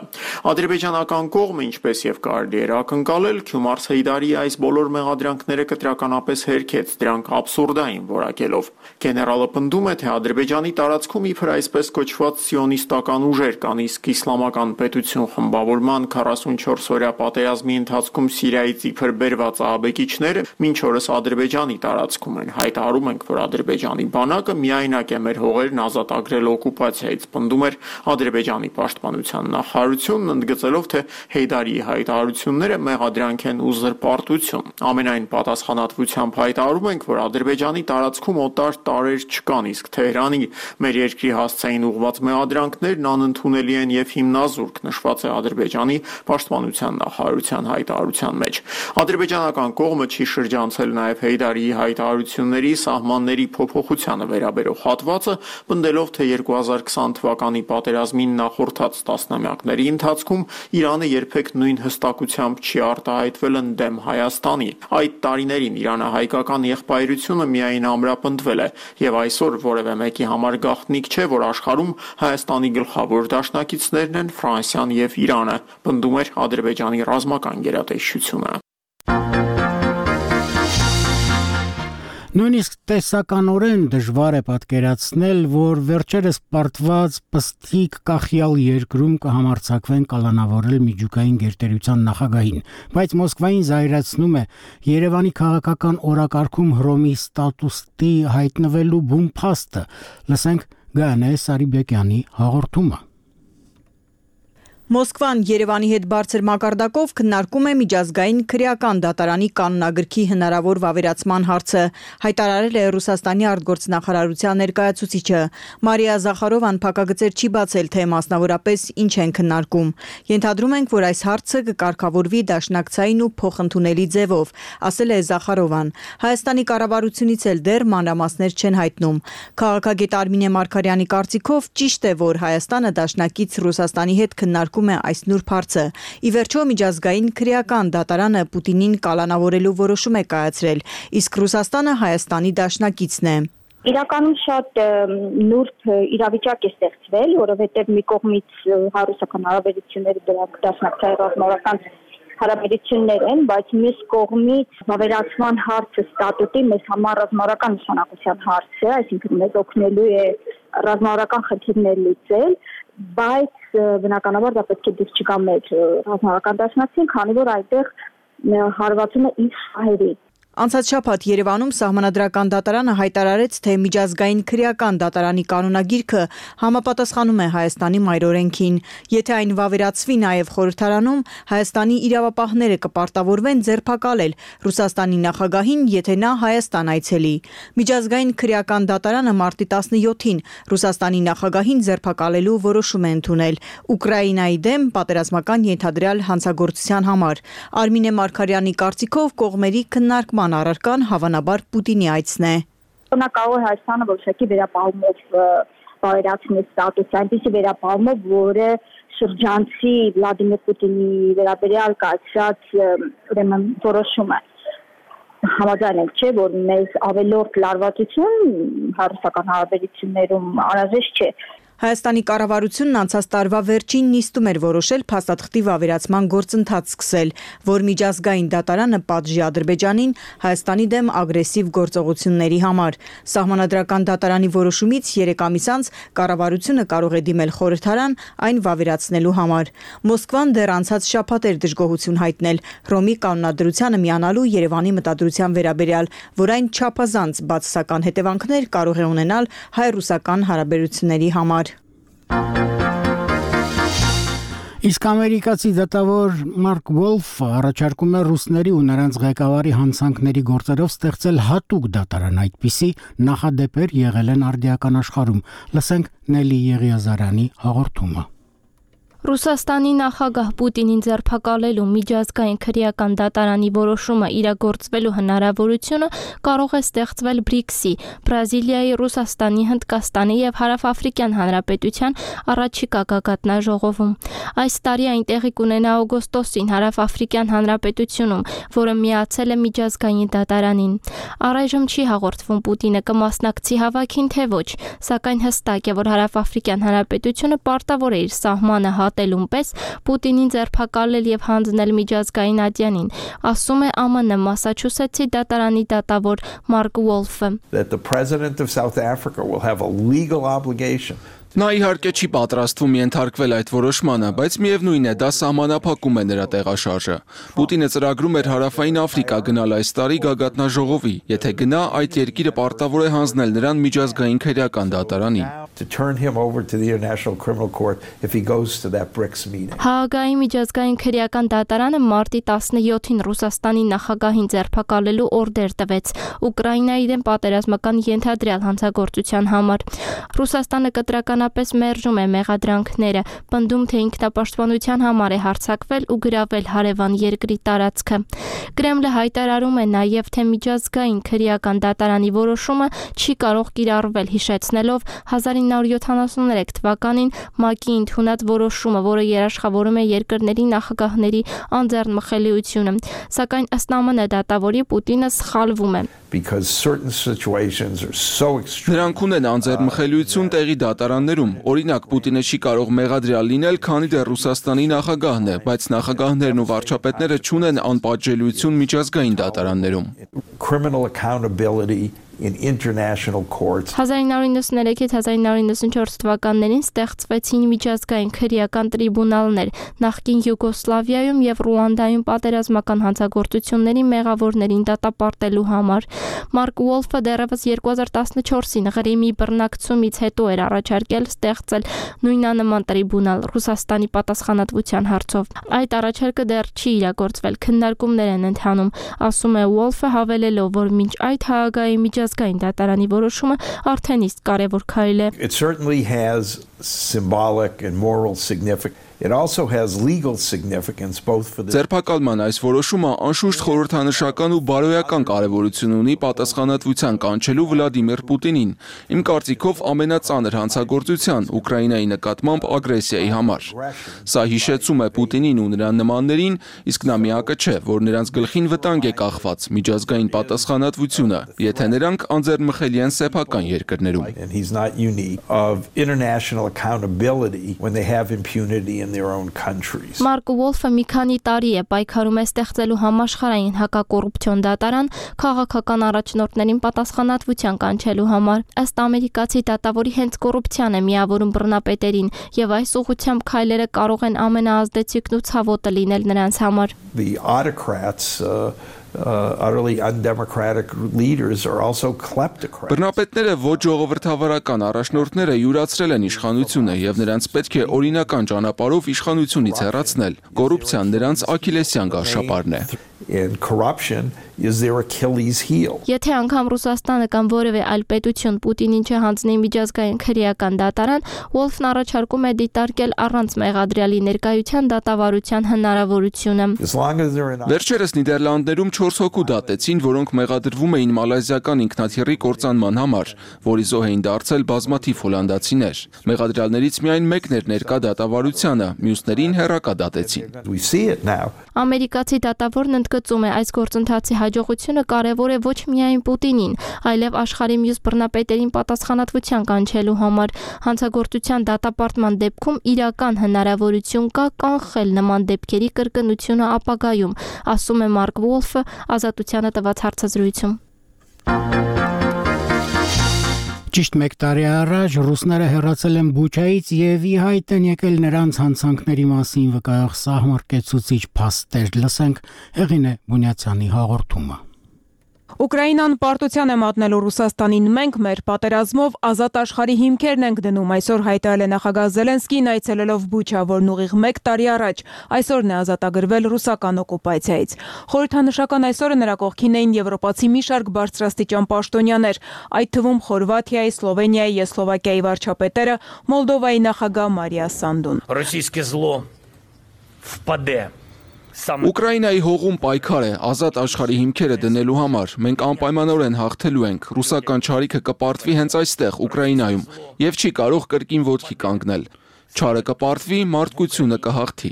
Ադրբեջանական կողմը, ինչպես եւ կարելի էր ակնկալել, Քյումարս Հեյդարի այս բոլոր մեղադրանքները կտրականապես հերքեց, դրանք աբսուրդային որակելով։ Գեներալը պնդում է, թե Ադրբեջանի տարածքում իբր այսպես կոչված սիոնիստական ուժեր կան, իսկ իսլամական պետություն խմբավորման 44-օրյա պատերազմի ընթացքում Սիրիայից իբր բերված ահաբեկիչները մինչ օրս Ադրբեջանի տարածքում են։ Հայտարարում ենք, որ Ադրբեջանի բանակը միայնակ է մեր հողերն ազատագրել օկուպացիայից, պնդում էր Ադրբեջանի պաշտպանության նախարարությունն, ընդգծելով, թե Հեյդարիի հայտարարությունները մեղադրանք են ու զրպարտություն։ Ամենայն պատասխանատվությամբ հայտարարում ենք, որ Ադրբեջանի տարածքում օտար տարրեր չկան, իսկ Թեհրանի մեր երկրի հասցեին ուղղված մեղադրանքներն անընդունելի են եւ հիմնազուրկ, նշված է Ադրբեջանի պաշտպանության նախարարության հայտարարության մեջ։ Ադրբեջանական կողմը չի շրջանցել նաև Հեյդարիի հայտարարությունների սահմանների փոփոխությանը վերաբերող հատվածը, պնդելով, թե 2020 թվականի պատերազմին նախորդած տասնամյակների ընթացքում Իրանը երբեք նույն հստակությամբ չի արտահայտվել ընդդեմ Հայաստանի։ Այդ տարիներին իրանահայկական եղբայրությունը միայն ամրապնդվել է եւ այսօր որևէ մեկի համար գաղտնիք չէ, որ աշխարհում Հայաստանի գլխավոր դաշնակիցներն են Ֆրանսիան եւ Իրանը, պնդում էր Ադրբեջանի ռազմական գերատեսչությունը։ Նույնիսկ տեսականորեն դժվար է պատկերացնել, որ վերջերս պարտված պստիկ կախյալ երկրում կհամարձակվեն կալանավորել միջուկային գերտերության նախագահին, բայց Մոսկվային զայրացնում է Երևանի քաղաքական օրակարգում Հռոմի ստատուտի հայտնվելու բուն փաստը։ Լսենք Գայանե Սարիբեկյանի հաղորդումը։ Մոսկվան Երևանի հետ բարձր մակարդակով քննարկում է միջազգային քրեական դատարանի կանոնագրքի հնարավոր վավերացման հարցը, հայտարարել է Ռուսաստանի արտգործնախարարության ներկայացուցիչը։ Մարիա Զախարովան փակագծեր չի բացել, թե մասնավորապես ինչ են քննարկում։ Ենթադրում ենք, որ այս հարցը կկարգավորվի դաշնակցային ու փոխընդունելի ձևով, ասել է Զախարովան։ Հայաստանի կառավարությունից էլ դեռ մանրամասներ չեն հայտնում։ Քաղաքագետ Արմինե Մարգարյանի կարծիքով ճիշտ է, որ Հայաստանը դաշնակից Ռուսաստանի հետ քննարկում է այս նուրբ հարցը։ Ի վերջո միջազգային քրեական դատարանը Պուտինին կալանավորելու որոշում է կայացրել, իսկ Ռուսաստանը Հայաստանի դաշնակիցն է։ Իրականում շատ նուրբ իրավիճակ է ստեղծվել, որովհետև մի կողմից հարուսական հարաբերությունները դրանք դաշնակցային ռազմավարական հարաբերություններ են, բայց մյուս կողմից վավերացման հարցը ստատուտի մեզ համար ռազմավարական նշանակության հարց է, այսինքն մեզ օգնելու է ռազմավարական խնդիրներ լուծել, բայց բնականաբար դա պետք է դուրս չգա մեր ռազմավարական դաշնակցին, քանի որ այդտեղ հարվածում է իր շահերի։ Անցած շաբաթ Երևանում Սահմանադրական դատարանը հայտարարեց, թե միջազգային քրեական դատարանի կանոնագիրքը համապատասխանում է Հայաստանի մայրօրենքին։ Եթե այն վավերացվի նաև խորհրդարանում, Հայաստանի իրավապահները կպարտավորվեն ձերբակալել Ռուսաստանի նախագահին, եթե նա Հայաստան այցելի։ Միջազգային քրեական դատարանը մարտի 17-ին Ռուսաստանի նախագահին ձերբակալելու որոշում է ընդունել Ուկրաինայի դեմ պատերազմական ենթադրյալ հանցագործության համար։ Արմինե Մարգարյանի կարծիքով կողմերի քննարկման առարկան հավանաբար Պուտինի այցն է։ Նա կարող է Հայաստանը որոշակի վերապահումով վավերացնել ստատուտը, այնպիսի վերապահումով, որը շրջանցի Վլադիմիր Պուտինի վերաբերյալ կայացրած ուրեմն որոշումը։ Համաձայն ենք, չէ, որ մեզ ավելորդ լարվածություն հարուսական հարաբերություններում անհրաժեշտ չէ։ Հայաստանի կառավարությունն անցած տարվա վերջին նիստում էր որոշել փաստաթղթի վավերացման գործընթաց սկսել, որ միջազգային դատարանը պատժի Ադրբեջանին Հայաստանի դեմ ագրեսիվ գործողությունների համար։ Սահմանադրական դատարանի որոշումից 3 ամիս անց կառավարությունը կարող է դիմել խորհրդարան այն վավերացնելու համար։ Մոսկվան դեռ անցած շաբաթ էր դժգոհություն հայտնել Հռոմի կանոնադրությանը միանալու Երևանի մտադրության վերաբերյալ, որ այն չափազանց բացասական հետևանքներ կարող է ունենալ հայ-ռուսական հարաբերությունների համար։ Իսկ ամերիկացի դատավոր Մարկ Վոլֆը առաջարկում է ռուսների ու նրանց ղեկավարի հանցանքների գործերով ստեղծել հատուկ դատարան, այդպիսի նախադեպեր եղել են արդիական աշխարհում։ Լսենք Նելի Եղիազարյանի հաղորդումը։ Ռուսաստանի նախագահ Պուտինին ձերբակալելու միջազգային քրեական դատարանի որոշումը իրագործվելու հնարավորությունը կարող է ստեղծվել BRICS-ի, Բրազիլիայի, Ռուսաստանի, Հնդկաստանի եւ Հարավաֆրիկյան Հանրապետության առաջիկա գագաթնաժողովում։ Այս տարի այն տեղի կունենա օգոստոսին Հարավաֆրիկյան Հանրապետությունում, որը միացել է միջազգային դատարանին։ Առայժմ չի հաղորդվում Պուտինը կմասնակցի հավաքին թե ոչ, սակայն հստակ է, որ Հարավաֆրիկյան Հանրապետությունը պարտավոր է իր սահմանը հատելուն պես Պուտինին ձերբակալել եւ հանձնել միջազգային ատյանին, ասում է ԱՄՆ Մասաչուսեթսի դատարանի դատավոր Մարկ Վոլֆը։ Նա իհարկե չի պատրաստվում ենթարկվել այդ որոշմանը, բայց միևնույն է, դա սահմանափակում է նրա տեղաշարժը։ Պուտինը ծրագրում էր Հարավային Աֆրիկա գնալ այս տարի գագաթնաժողովի, եթե գնա, այդ երկիրը պարտավոր է հանձնել նրան միջազգային քրեական դատարանին։ Հաագայի միջազգային քրեական դատարանը մարտի 17-ին Ռուսաստանի նախագահին ձերբակալելու օրդեր տվեց Ուկրաինայի դեմ պատերազմական ենթադրյալ հանցագործության համար։ Ռուսաստանը կտրական պաշտոնապես մերժում է մեղադրանքները, պնդում թե ինքնապաշտպանության համար է հարձակվել ու գրավել հարևան երկրի տարածքը։ Կրեմլը հայտարարում է նաև, թե միջազգային քրեական դատարանի որոշումը չի կարող կիրառվել, հիշեցնելով 1973 թվականին ՄԱԿ-ի ընդունած որոշումը, որը երաշխավորում է երկրների նախագահների անձեռնմխելիությունը։ Սակայն ըստ ԱՄՆ դատավորի Պուտինը սխալվում է։ Նրանք ունեն անձեռնմխելիություն տեղի դատարաններում։ Օրինակ, Պուտինը չի կարող մեղադրյալ լինել, քանի դեռ Ռուսաստանի նախագահն է, բայց նախագահներն ու վարչապետները չունեն անպատժելիություն միջազգային դատարաններում։ 1993-1994 թվականներին ստեղծվեցին միջազգային քրեական տրիբունալներ նախկին Յուգոսլավիայում և Ռուանդայում պատերազմական հանցագործությունների մեղավորներին դատապարտելու համար։ Մարկ Ուոլֆը դեռևս 2014-ին Ղրիմի բռնակցումից հետո էր առաջարկել ստեղծել նույնանման տրիբունալ Ռուսաստանի պատասխանատվության հարցով։ Այդ առաջարկը դեռ չի իրագործվել, քննարկումներ են ընթանում, ասում է Ուոլֆը, հավելելով, որ մինչ այդ Հաագայի միջազգային դատարանի որոշումը արդեն իսկ կարևոր քայլ է։ It certainly has symbolic and moral significance. It also has legal significance both for the Ձերբակալման այս որոշումը անշուշտ խորհրդանշական ու բարոյական կարևորություն ունի պատասխանատվության կանչելու Վլադիմիր Պուտինին, իմ կարծիքով ամենածանր հանցագործության Ուկրաինայի նկատմամբ ագրեսիայի համար։ Սա հիշեցում է Պուտինին ու նրան նմաններին, իսկ նա միակը չէ, որ նրանց գլխին վտանգ է կախված միջազգային պատասխանատվությունը, եթե նրանք անձեռնմխելի են սեփական երկրներում։ and he's not unique of international accountability when they have impunity in their own countries. Մարկ Ուոլֆը մի քանի տարի է պայքարում է ստեղծելու համաշխարհային հակակոռուպցիոն դատարան քաղաքական առաջնորդներին պատասխանատվության կանչելու համար։ Ըստ ամերիկացի դատավորի հենց կոռուպցիան է միավորում բռնապետերին, եւ այս ուղղությամբ քայլերը կարող են ամենաազդեցիկն ու ցավոտը լինել նրանց համար։ The autocrats utterly undemocratic leaders are also kleptocrats. Բռնապետները ոչ ժողովրդավարական առաջնորդները յուրացրել են իշխանությունը եւ նրանց պետք է օրինական ճանապարհով իշխանությունից հեռացնել։ Կոռուպցիան նրանց աքիլեսյան գարշապարն է։ And corruption is their Achilles heel. Եթե անգամ Ռուսաստանը կամ որևէ այլ պետություն Պուտինին չհանձնի միջազգային քրեական դատարան, Ուոլֆն առաջարկում է դիտարկել առանց մեղադրյալի ներկայության դատավարության հնարավորությունը։ Վերջերս Նիդերլանդներում 4 հոգու դատեցին, որոնք մեղադրվում էին մալազիական ինքնաթիռի կործանման համար, որի զոհ էին դարձել բազմաթիվ հոլանդացիներ։ Մեղադրյալներից միայն մեկն էր ներկա դատավարությանը, մյուսներին հեռակա դատեցին։ Ամերիկացի դատավորն ընդգծում է, այս գործընթացի հաջողությունը կարևոր է ոչ միայն Պուտինին, այլև աշխարհի մյուս բռնապետերին պատասխանատվության կանչելու համար։ Հանցագործության դատապարտման դեպքում իրական հնարավորություն կա կանխել նման դեպքերի կրկնությունը ապագայում, ասում է Մարկ Ուոլֆը Ազատությանը տված հարցազրույցում։ Ճիշտ մեկ տարի առաջ ռուսները հեռացել են Բուչայից եւ ի հայտ են եկել նրանց հանցանքների մասին վկայող սահմռկեցուցիչ փաստեր։ Լսենք Հեղինե Բունյացյանի հաղորդումը։ Ուկրաինան պարտության է մատնելու Ռուսաստանին, մենք մեր պատերազմով ազատ աշխարհի հիմքերն ենք դնում, այսօր հայտարարել է նախագահ Զելենսկին այցելելով Բուչա, որն ուղիղ 1 տարի առաջ այսօրն է ազատագրվել ռուսական օկուպացիայից։ Խորհրդանշական այսօրը նրա կողքին էին եվրոպացի մի շարք բարձրաստիճան պաշտոնյաներ, այդ թվում Խորվաթիայի, Սլովենիայի և Սլովակիայի վարչապետերը, Մոլդովայի նախագահ Մարիա Սանդուն։ Ուկրաինայի հողում պայքար է ազատ աշխարհի հիմքերը դնելու համար։ Մենք անպայմանորեն հաղթելու ենք։ Ռուսական չարիքը կպարտվի հենց այստեղ, Ուկրաինայում, եւ չի կարող կրկին ոտքի կանգնել։ Չարը կպարտվի, մարդկությունը կհաղթի։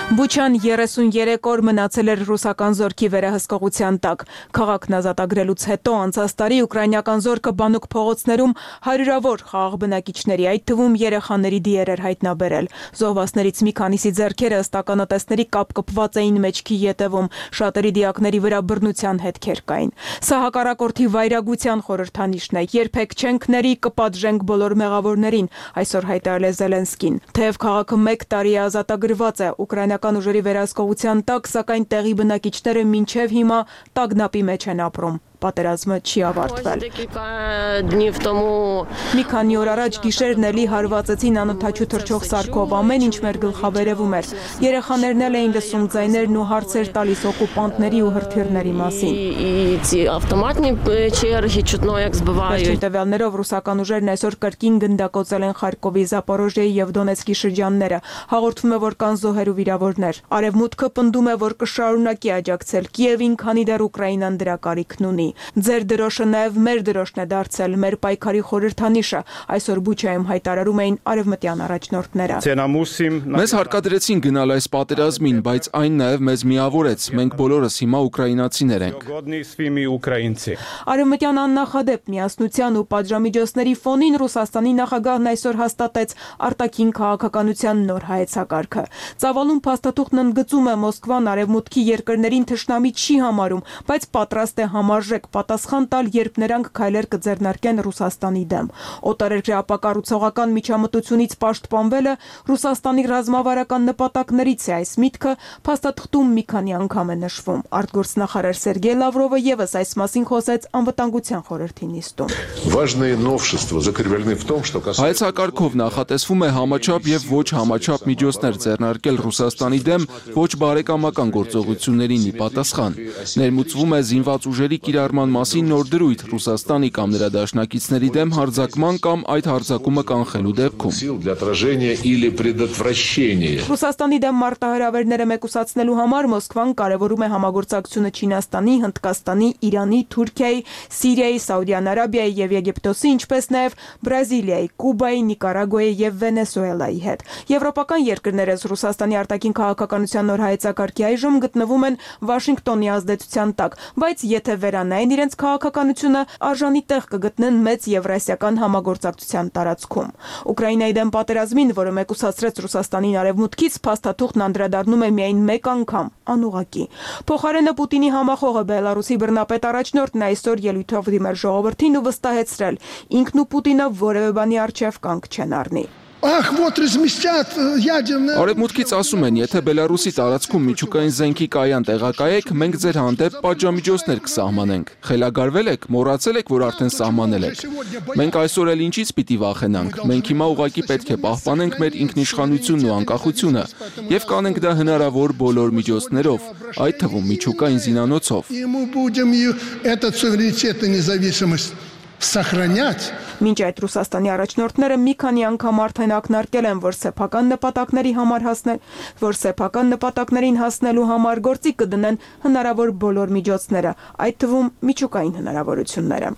Բուչան 33 օր մնացել էր ռուսական զորքի վերահսկողության տակ։ Քաղաքն ազատագրելուց հետո անցած տարի ուկրաինական զորքը բանուկ փողոցներում հարյուրավոր խաղաղ բնակիչների, այդ թվում երեխաների դիեր էր հայտնաբերել։ Զոհվածներից մի քանիսի ձեռքերը ըստ ականատեսների կապկպված էին մեջքի ետևում, շատերի դիակների վրա բռնության հետքեր կային։ Սա հակառակորդի վայրագության խորհրդանիշն է։ Երբեք չենք ների, կպատժենք բոլոր մեղավորներին, այսօր հայտարարել է Զելենսկին։ Թեև քաղաքը 1 տարի է ազատագրված է ուկրաինական ուժերի վերահսկողության տակ, սակայն տեղի բնակիչները մինչև հիմա տագնապի մեջ են ապրում։ պատերազմը չի ավարտվել։ Մի քանի օր առաջ գիշերն էլի հարվածեցին անօթաչու թռչող սարքով, ամեն ինչ մեր գլխավերևում էր։ Երեխաներն էլ էին լսում ձայներն ու հարցեր տալիս օկուպանտների ու հրթիռների մասին։ Վերջին տվյալներով ռուսական ուժերն այսօր կրկին գնդակոծել են Խարկովի, Զապորոժիայի եւ Դոնեցկի շրջանները։ Հաղորդվում է, որ կան զոհեր ու վիրավորներ։ Արևմուտքը պնդում է, որ կշարունակի աջակցել Կիևին, քանի դեռ Ուկրաինան դրա կարիքն ունի։ Ձեր դրոշը նաեւ մեր դրոշն է դարձել, մեր պայքարի խորհրդանիշը, այսօր Բուչայում հայտարարում էին արևմտյան առաջնորդները։ Մեզ հարկադրեցին գնալ այս պատերազմին, բայց այն նաեւ մեզ միավորեց։ Մենք բոլորս հիմա ուկրաինացիներ ենք։ Արևմտյան աննախադեպ միասնության ու պատժամիջոցների ֆոնին Ռուսաստանի նախագահն այսօր հաստատեց արտաքին քաղաքականության նոր հայեցակարգը։ Ծավալուն փաստաթուղթն ընդգծում է Մոսկվան արևմուտքի երկրներին թշնամի չի համարում, բայց պատրաստ է համարժեք պատասխան տալ, երբ նրանք քայլեր կձեռնարկեն Ռուսաստանի դեմ։ Օտարերկրյա ապակառուցողական միջամտությունից պաշտպանվելը Ռուսաստանի ռազմավարական նպատակներից է, այս միտքը փաստաթղթում մի քանի անգամ է նշվում։ Արտգործնախարար Սերգեյ Լավրովը եւս այս մասին խոսեց անվտանգության խորհրդի նիստում։ Հայեցակարգով նախատեսվում է համաչափ եւ ոչ համաչափ միջոցներ ձեռնարկել Ռուսաստանի դեմ ոչ բարեկամական գործողություններին ի պատասխան։ Ներմուծվում է զինված ուժերի կիրառման մասին նոր դրույթ Ռուսաստանի կամ նրա դաշնակիցների դեմ հարձակման կամ այդ հարձակումը կանխելու դեպքում։ Ռուսաստանի դեմ մարտահրավերները մեկուսացնելու համար Մոսկվան կարևորում է համագործակցությունը Չինաստանի, Հնդկաստանի, Իրանի, Թուրքիայի, Սիրիայի, Սաուդյան Արաբիայի եւ Եգիպտոսի, ինչպես նաեւ Բրազիլիայի, Կուբայի, Նիկարագուայի եւ Վենեսուելայի հետ։ Եվրոպական երկրներս Ռուսաստանի արտաքին քաղաքականության նոր հայեցակարգի այժմ գտնվում են Վաշինգտոնի ազդեցության տակ, բայց եթե վերանային իրենց քաղաքականությունը, արժանի տեղ կգտնեն մեծ եվրասիական համագործակցության տարածքում։ Ուկրաինայի դեմ պատերազմին, որը մեկուսացրեց Ռուսաստանին արևմուտքից, փաստաթուղթն անդրադառնում է միայն մեկ անգամ, անուղղակի։ Փոխարենը Պուտինի համախոհը Բելարուսի բռնապետ առաջնորդն այսօր ելույթով դիմել ժողովրդին ու վստահեցրել, ինքն ու Պուտինը որևէ բանի առջև կանգ չեն առնի։ Արևմուտքից ասում են, եթե Բելարուսի տարածքում միջուկային զենքի կայան տեղակայեք, մենք ձեր հանդեպ պատժամիջոցներ կսահմանենք։ Խելագարվել եք, մոռացել եք, որ արդեն սահմանել եք։ Մենք այսօր էլ ինչից պիտի վախենանք։ Մենք հիմա ուղղակի պետք է պահպանենք մեր ինքնիշխանությունն ու անկախությունը եւ կանենք դա հնարավոր բոլոր միջոցներով, այդ թվում միջուկային զինանոցով։ Մինչ այդ Ռուսաստանի առաջնորդները մի քանի անգամ արդեն ակնարկել են, որ սեփական նպատակներին հասնելու համար գործի կդնեն հնարավոր բոլոր միջոցները, այդ թվում միջուկային հնարավորությունները։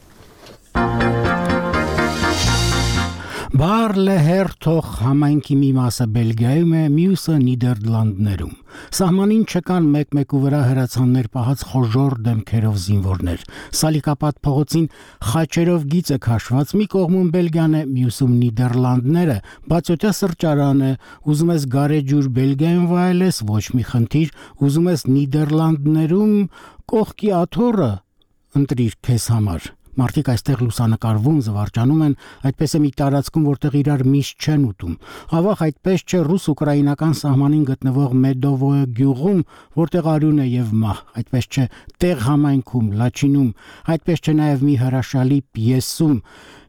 Բարլեհերթող համայնքի մի մասը Բելգիայում է, մյուսը Նիդերլանդներում։ Սահմանին չկան մեկ-մեկու վրա հրացաններ պահած խոժոր դեմքերով զինվորներ։ Սալիկապատ փողոցին խաչերով գիծ է քաշված, մի կողմում Բելգիան է, մյուսում Նիդերլանդները, բացօթյա սրճարան է, ուզում ես գարեջուր Բելգիայում վայելես, ոչ մի խնդիր, ուզում ես Նիդերլանդներում կողքի աթոռը ընտրիր քեզ համար։ Մարդիկ այստեղ լուսանկարվում, զվարճանում են, այդպես է մի տարածքում, որտեղ իրար միշտ չեն ուտում։ Ավաղ այդպես չէ ռուս-ուկրաինական սահմանին գտնվող Մեդովոյ գյուղում, որտեղ արյուն է եւ մահ, այդպես չէ տեղ համայնքում, Լաչինում, այդպես չէ նաեւ մի հրաշալի պիեսում։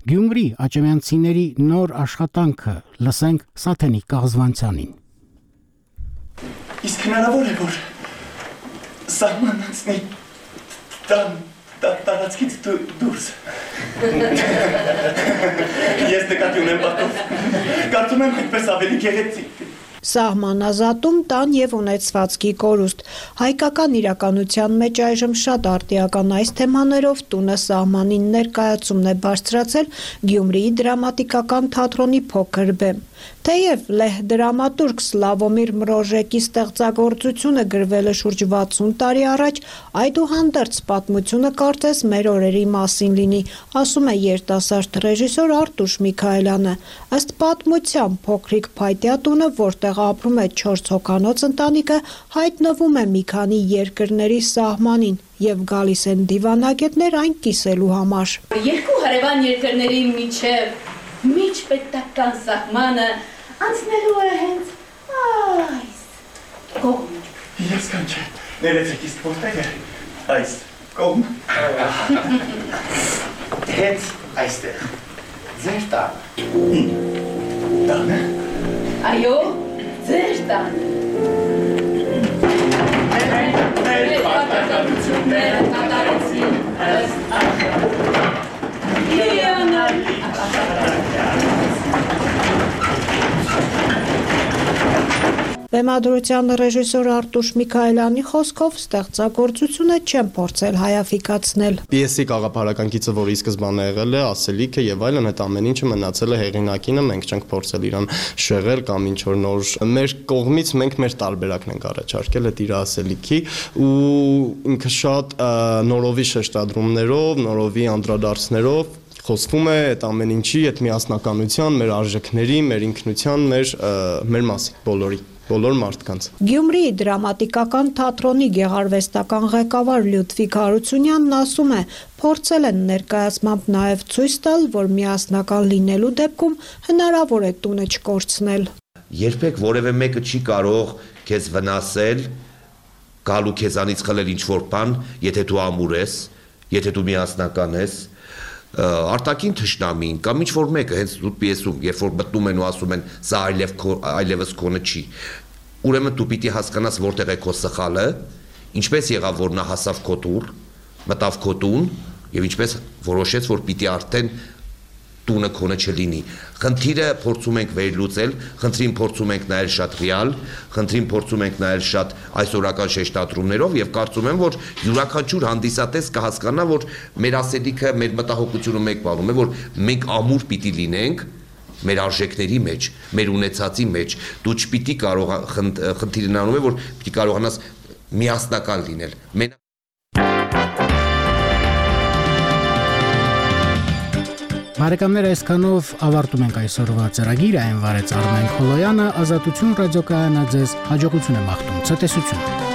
Գյումրի աճեմյանցիների նոր աշխատանքը, լսենք Սաթենիկ Կաղզվանցյանին։ Իսկ հնարավոր է, որ սահման անցնի տարածքից դուրս։ Ես նկատի ունեմ պատով, կարծում եմ այդպես ավելի գեղեցիկ։ Սահմանազատում տան եւ ունեցվածքի կորուստ։ Հայկական իրականության մեջ այժմ շատ արտիական այս թեմաներով տունը սահմանին ներկայացումն է բարձրացել Գյումրիի դրամատիկական թատրոնի փոքր բեմ։ Թեև լեհ դրամատուրգ Սլավոմիր Մրոժեկի ստեղծագործությունը գրվել է շուրջ 60 տարի առաջ, այդուհանդերձ պատմությունը կարծես մեր օրերի մասին լինի, ասում է երիտասարդ ռեժիսոր Արտուշ Միքայելյանը։ Ըստ պատմության փոքրիկ փայտյա տունը, որտեղ ապրում է 4 հոգանոց ընտանիքը, հայտնվում է մի քանի երկրների սահմանին եւ գալիս են դիվանագետներ այն կիսելու համար։ Երկու հարևան երկրների միջպետական սահմանը անցնելու է հենց այս կողմը։ Ես կանչե, ներեցեք իսկ որտեղ է այս Կողմ։ Հետ այստեղ։ Ձեր տան։ Տանը։ Այո, ձեր տան։ Մեր պատահությունները կատարեցին ըստ Հիանալի։ Բեմադրության ռեժիսոր Արտուշ Միքայելյանի խոսքով ստեղծագործությունը չեն փորձել հայաֆիկացնել։ Պիեսի գաղափարական գիծը, որ ի սկզբանե եղել է, ասելիքը եւ այլն, այդ ամեն ինչը մնացել է հեղինակինը, մենք չենք փորձել իրան շեղել կամ ինչ որ նոր մեր կողմից մենք մեր տարբերակն ենք առաջարկել այդ իր ասելիքի ու ինքը շատ նորովի շեշտադրումներով, նորովի անդրադարձներով խոսվում է այդ ամեն ինչի, այդ միասնականության, մեր արժեքների, մեր ինքնության, մեր մասին, բոլոր մարդկանց։ Գյումրիի դրամատիկական թատրոնի գեղարվեստական ղեկավար Լյուդվիգ Հարությունյանն ասում է, փորձել են ներկայացմամբ նաև ցույց տալ, որ միասնական լինելու դեպքում հնարավոր է տունը չկորցնել։ Երբեք որևէ մեկը չի կարող քեզ վնասել, գալու քեզանից խլել ինչ-որ բան, եթե դու ամուր ես, եթե դու միասնական ես, արտաքին թշնամին կամ ինչ-որ մեկը հենց դու պիեսում, երբ որ մտնում են ու ասում են սա այլևս քոնը չի, ուրեմն դու պիտի հասկանաս որտեղ է քո սխալը, ինչպես եղավ որ նա հասավ քո տուր, մտավ քո տուն եւ ինչպես որոշեց որ պիտի արդեն տունը քոնը չլինի։ Խնդիրը փորձում ենք վերլուծել, խնդրին փորձում ենք նայել շատ ռեալ, խնդրին փորձում ենք նայել շատ այսօրական շեշտադրումներով եւ կարծում եմ որ յուրաքանչյուր հանդիսատես կհասկանա որ մեր ասելիքը, մեր մտահոգությունը մեկ բանում է որ մենք ամուր պիտի լինենք մեր արժեքների մեջ, մեր ունեցածի մեջ, դու չպիտի կարող խնդիրն անում է որ պիտի կարողանաս միասնական լինել։ Բարեկամներ, այսքանով ավարտում ենք այսօրվա ծրագիրը, այն վարեց Արմեն Քոլոյանը, Ազատություն ռադիոկայանը ձեզ հաջողություն է մաղթում, ցտեսություն։